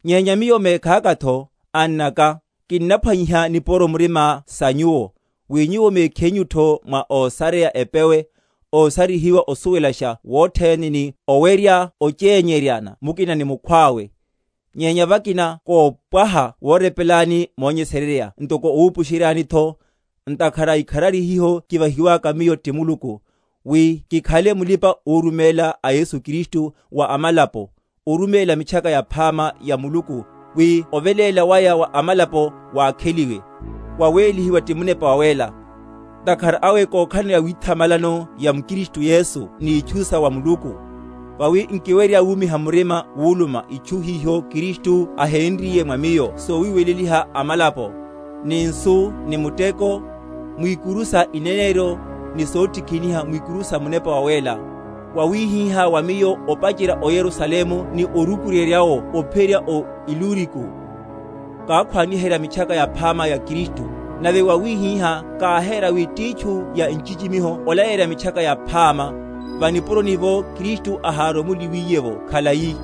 Nyenya miyo meekhaaka-tho, annaka, kinnaphwanyiha nipuro murima sa nyuwo, wi nyuwo meekhenyu-tho mwa oosareya epewe, oosarihiwa osuwelaxa wothene ni owerya oceenyeryana mukina ni mukhw'awe. Nyenya vakina koopwaha woorepelani moonyesererya ntoko owuupuxeryaani-tho, ntakhara ikharari hiho kivahiwaka miyo ti muluku, wi kikhale mulipa-uurumeela a yesu kristu wa amalapo, orumeela mitchaka yaphaama ya muluku, wi oveleela waya wa amalapo waakheliwe, waweelihiwa ti munepa waweela. Ntakhara awe kookhalana withamalano ya mukristu yesu n'ichu sa wa muluku. Vawi nkiwerya wuumiha murima wuuluma ichu hiho kristu aheenriye mwa miyo soowiiweleliha amalapo, ni nsu, ni muteko, mwiikuru sa ineneryo, ni soottikhiniha mwiikuru sa munepa waweela, wawihihá wa miyo opacerya oyerusalemu ni orukuryeryawo ophiyerya o iluriku, kaakhwaaniherya mitchaka yaphaama ya kristu. Nave wawihihá kaaheera wi ttiichu ya ncicimiho olayerya mitchaka yaphaama, vanipuroni-vo kristu ahaaromuliwiye-vo khalayi,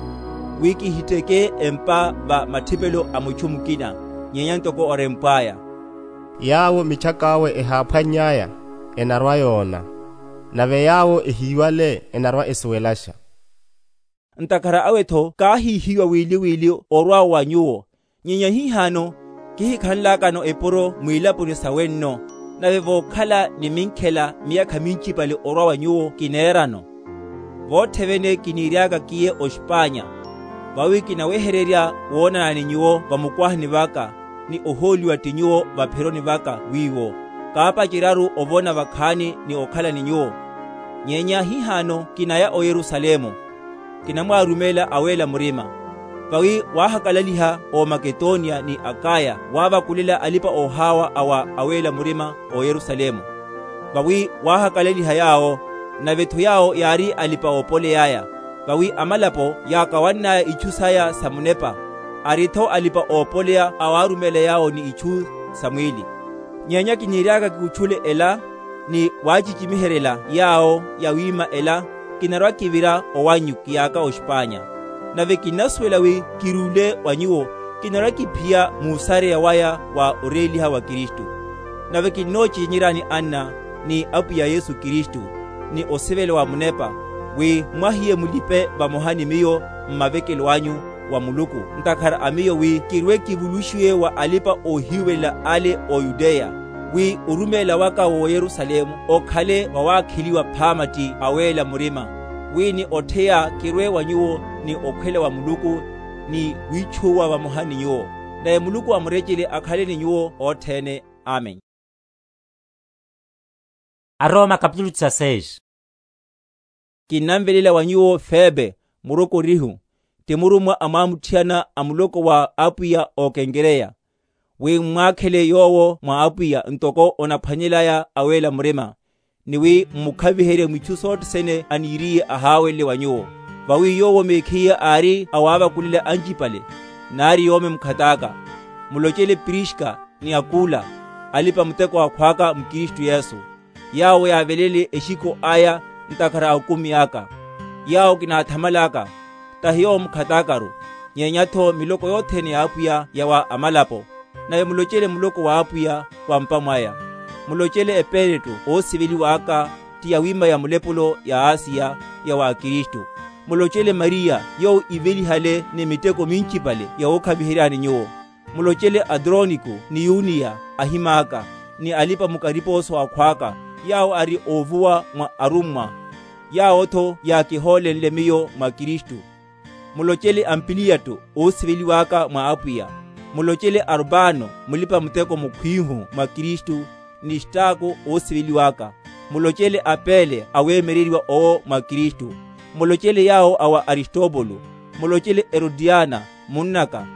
wi kihittheke empa va matthipelo a muchu mukina, nyenya ntoko orempw'aya, yaawo mitchak'awe ehaaphwanny'aya, enarwa-yoona, nave yaawo ehiiwale enarwa-esuwelaxa. Ntakhara awe-tho kaahihiwa wili-wili orwa wa nyuwo, nyenya hihano kihikhanlakano epuro mwiilaponi sa wenno, nave vookhala ni minkhela miyakha mincipale orwa wa nyuwo kineerano. Voothevene kiniiry'aka kiye oxpanya, vawi kinawehererya woonana ni nyuwo vamukwahani vaka, ni ohooliwa ti nyuwo vapheroni vaka wiiwo, kaapacerya-ru ovona vakhaani ni okhala ni nyuwo. Nyenya hihano kinaya oyerusalemu, kinamwaarumeela aweela murima. Vawi waahakalaliha omaketoniya ni akaya waavakulela alipa-oohaawa awa aweela murima oyerusalemu. Vawi waahakalaliha yaawo, nave-tho yaawo yaari alipa-oopoley'aya. Vawi amalapo yaakawann'aya ichu saya sa munepa, ari-tho alipa-oopoleya awaarumeela yaawo ni ichu sa mwiili. Nyenya kiniiry'aka kikutchule ela, ni waacicimiheryela yaawo yawiima ela, kinarwa-kivira owannyu kiyaka oxpanya. Nave kinnasuwela wi kiruule wa nyuwo, kinarwa-kiphiya muusareya waya wa oreeliha wa kristu. Nave kinnoocicenyeryaani anna, ni apwiya yesu kristu, ni osivela wa munepa, wi mwahiye mulipe vamoha ni miyo mmavekelo anyu wa muluku, ntakhara a miyo wi kirwe-kivuluxiwe wa alipa-oohiiwelela ale oyudeya, wi orumeela waka w'oyerusalemu okhale wawaakheliwa phaama ti aweela murima, wi ni otheya kirwe wa nyuwo, ni okhwela wa muluku, ni wiitxuwa vamoha ni nyuwo. Nave muluku amurecele akhale ni nyuwo othene. Amen. Aroma kapitulu dezasseis. Kinnanvelela wa nyuwo febe, murokorihu, ti murummwa a mwaamutthiyana a muloko wa apwiya ookenkereya, wi mmwaakhele yoowo mwa apwiya ntoko onaphwanyel'aya aweela murima, ni wi mmukhaviherye mwitthu sothene aniiriye ahaawele wa nyuwo. Vawi yoowo mekhiye aari awaavakulela ancipale, naari yoome mukhat'aka. Mulocele priska ni akula, alipa-muteko akhw'aka mukristu yesu, yaawo yaavelele exikho aya ntakhara a okumi aka. Yaawo kinaathamal'aka, tahi yoowo mukhat'akaru, nyenya-tho miloko yothene ya apwiya ya wa amalapo. Nave mulocele muloko w'apwiya wampa mwaya. Mulocele epereto oosiveliw'aka, ti yawima ya mulepulo ya asiya ya wa kristu. Mulocele mariya, yoowo ivelihale ni miteko mincipale ya wookhaviheryani nyuwo. Mulocele adroniko ni yuniya, ahim'aka, ni alipa-mukaripooso akhw'aka, yaawo ari oovuwa mwa arummwa. Yaawo-tho yaakihoolenle miyo mwa kristu. Mulocele ampiliyatto oosiveliw'aka mwa apwiya. Mulocele arupano, mulipa-muteko mukhw'ihu mwa kristu, ni stako oosiveliw'aka. Mulocele apele aweemereriwa owo mwa kristu. Mulocele yaawo a wa aristopolo. Mulocele erodiana, munn'aka.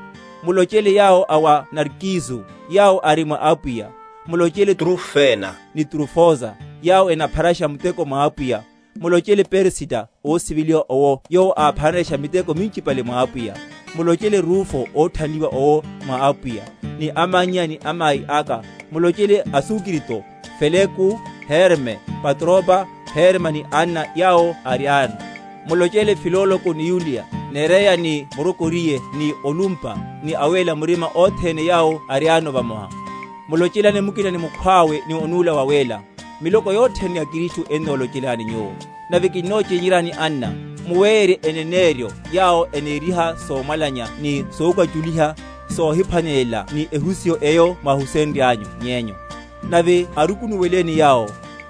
Mulocele yaawo a wa narkisu, yaawo ari mwa apwiya. Mulocele trufena ni trufosa, yaawo enapharaxa muteko mwa apwiya. Mulocele persita oosiveliwa owo, yoowo aaphanrexa miteko mincipale mwa apwiya. Mulocele rufo ootthanliwa owo mwa apwiya, ni amannya ni amayi aka. Mulocele asukrito, feleku, herme, patropa, herma ni anna yaawo ari aana. Mulocele filoloko ni yuliya, nereya ni morokoriye, ni olumpa, ni aweela murima othene yaawo ari aano vamoha. Mulocelane mukina ni mukhw'awe ni onuula waweela. Miloko yothene ya kristu ennoolocelani nyuwo. Nave kinnoocenyerani anna, muweerye eneneeryo yaawo eneeriha soomwalanya ni sookaculiha, soohiphwanelela ni ehusiyo eyo mwahusenry'anyu ny'enyu. Nave arukunuweleni yaawo,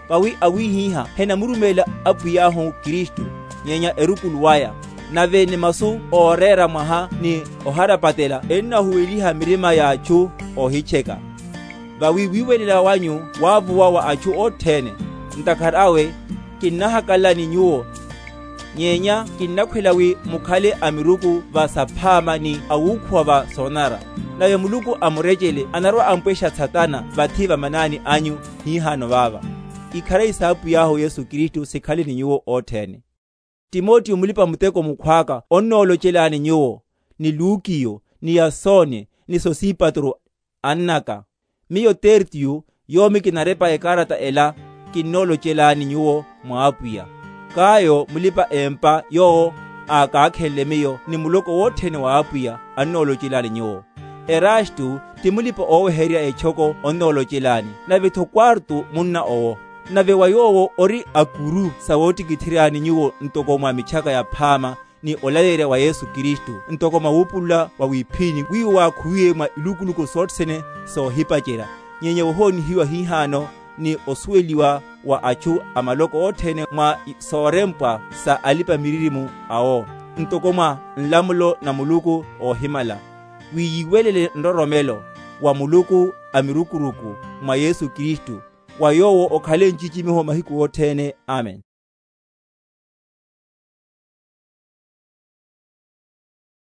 vawi awihiha henamurumeela apwiy'ahu kristu, nyenya erukulu waya. Nave ni masu ooreera mwaha ni oharapatela ennahuweliha mirima y'achu oohitcheka. Vawi wiiwelela wanyu waavuwa wa achu othene. Ntakhara awe, kinnahakalani nyuwo, nyenya kinnakhwela wi mukhale a miruku va saphaama ni awuukhuwa va soonanara. Nave muluku amurecele anarwa-ampwexa satana vathi vamanani anyu. Hihano vaava. Ikharari s'apwiy'ahu yesu kristu sikhale ni nyuwo othene. Timotiyo mulipa-muteko mukhw'aka onnoolocelani nyuwo, ni lukiyo, ni yasoni, ni sosipatro, ann'aka. Miyo tertiyo, yoomi kinarepa ekarata ela, kinnoolocelani nyuwo mwa apwiya. Kayo mulipa-empa yoowo aakaakhenle miyo ni muloko wothene wa apwiya, annoolocelani nyuwo. Erastu ti mulipa-oowehererya etxoko onnoolocelani, nave-tho kwartu munna owo. Nave wa yoowo ori akuru sa woottikitheryani nyuwo ntoko mwa mitxaka yaphaama, ni olaleyerya wa yesu kristu ntoko mwa wuupulula wa wiphini wiwo waakhuwiwe mwa ilukuluku sothene soohipacerya. Nyenya wohoonihiwa hihano ni osuweliwa wa achu a maloko othene mwa soorempwa sa alipa-miririmo awo, ntoko mwa nlamulo na muluku oohimala, wi yiiwelele nroromelo wa muluku a mirukuruku mwa yesu kristu. Wa yoowo okhale ncicimiho mahiku othene. Amen.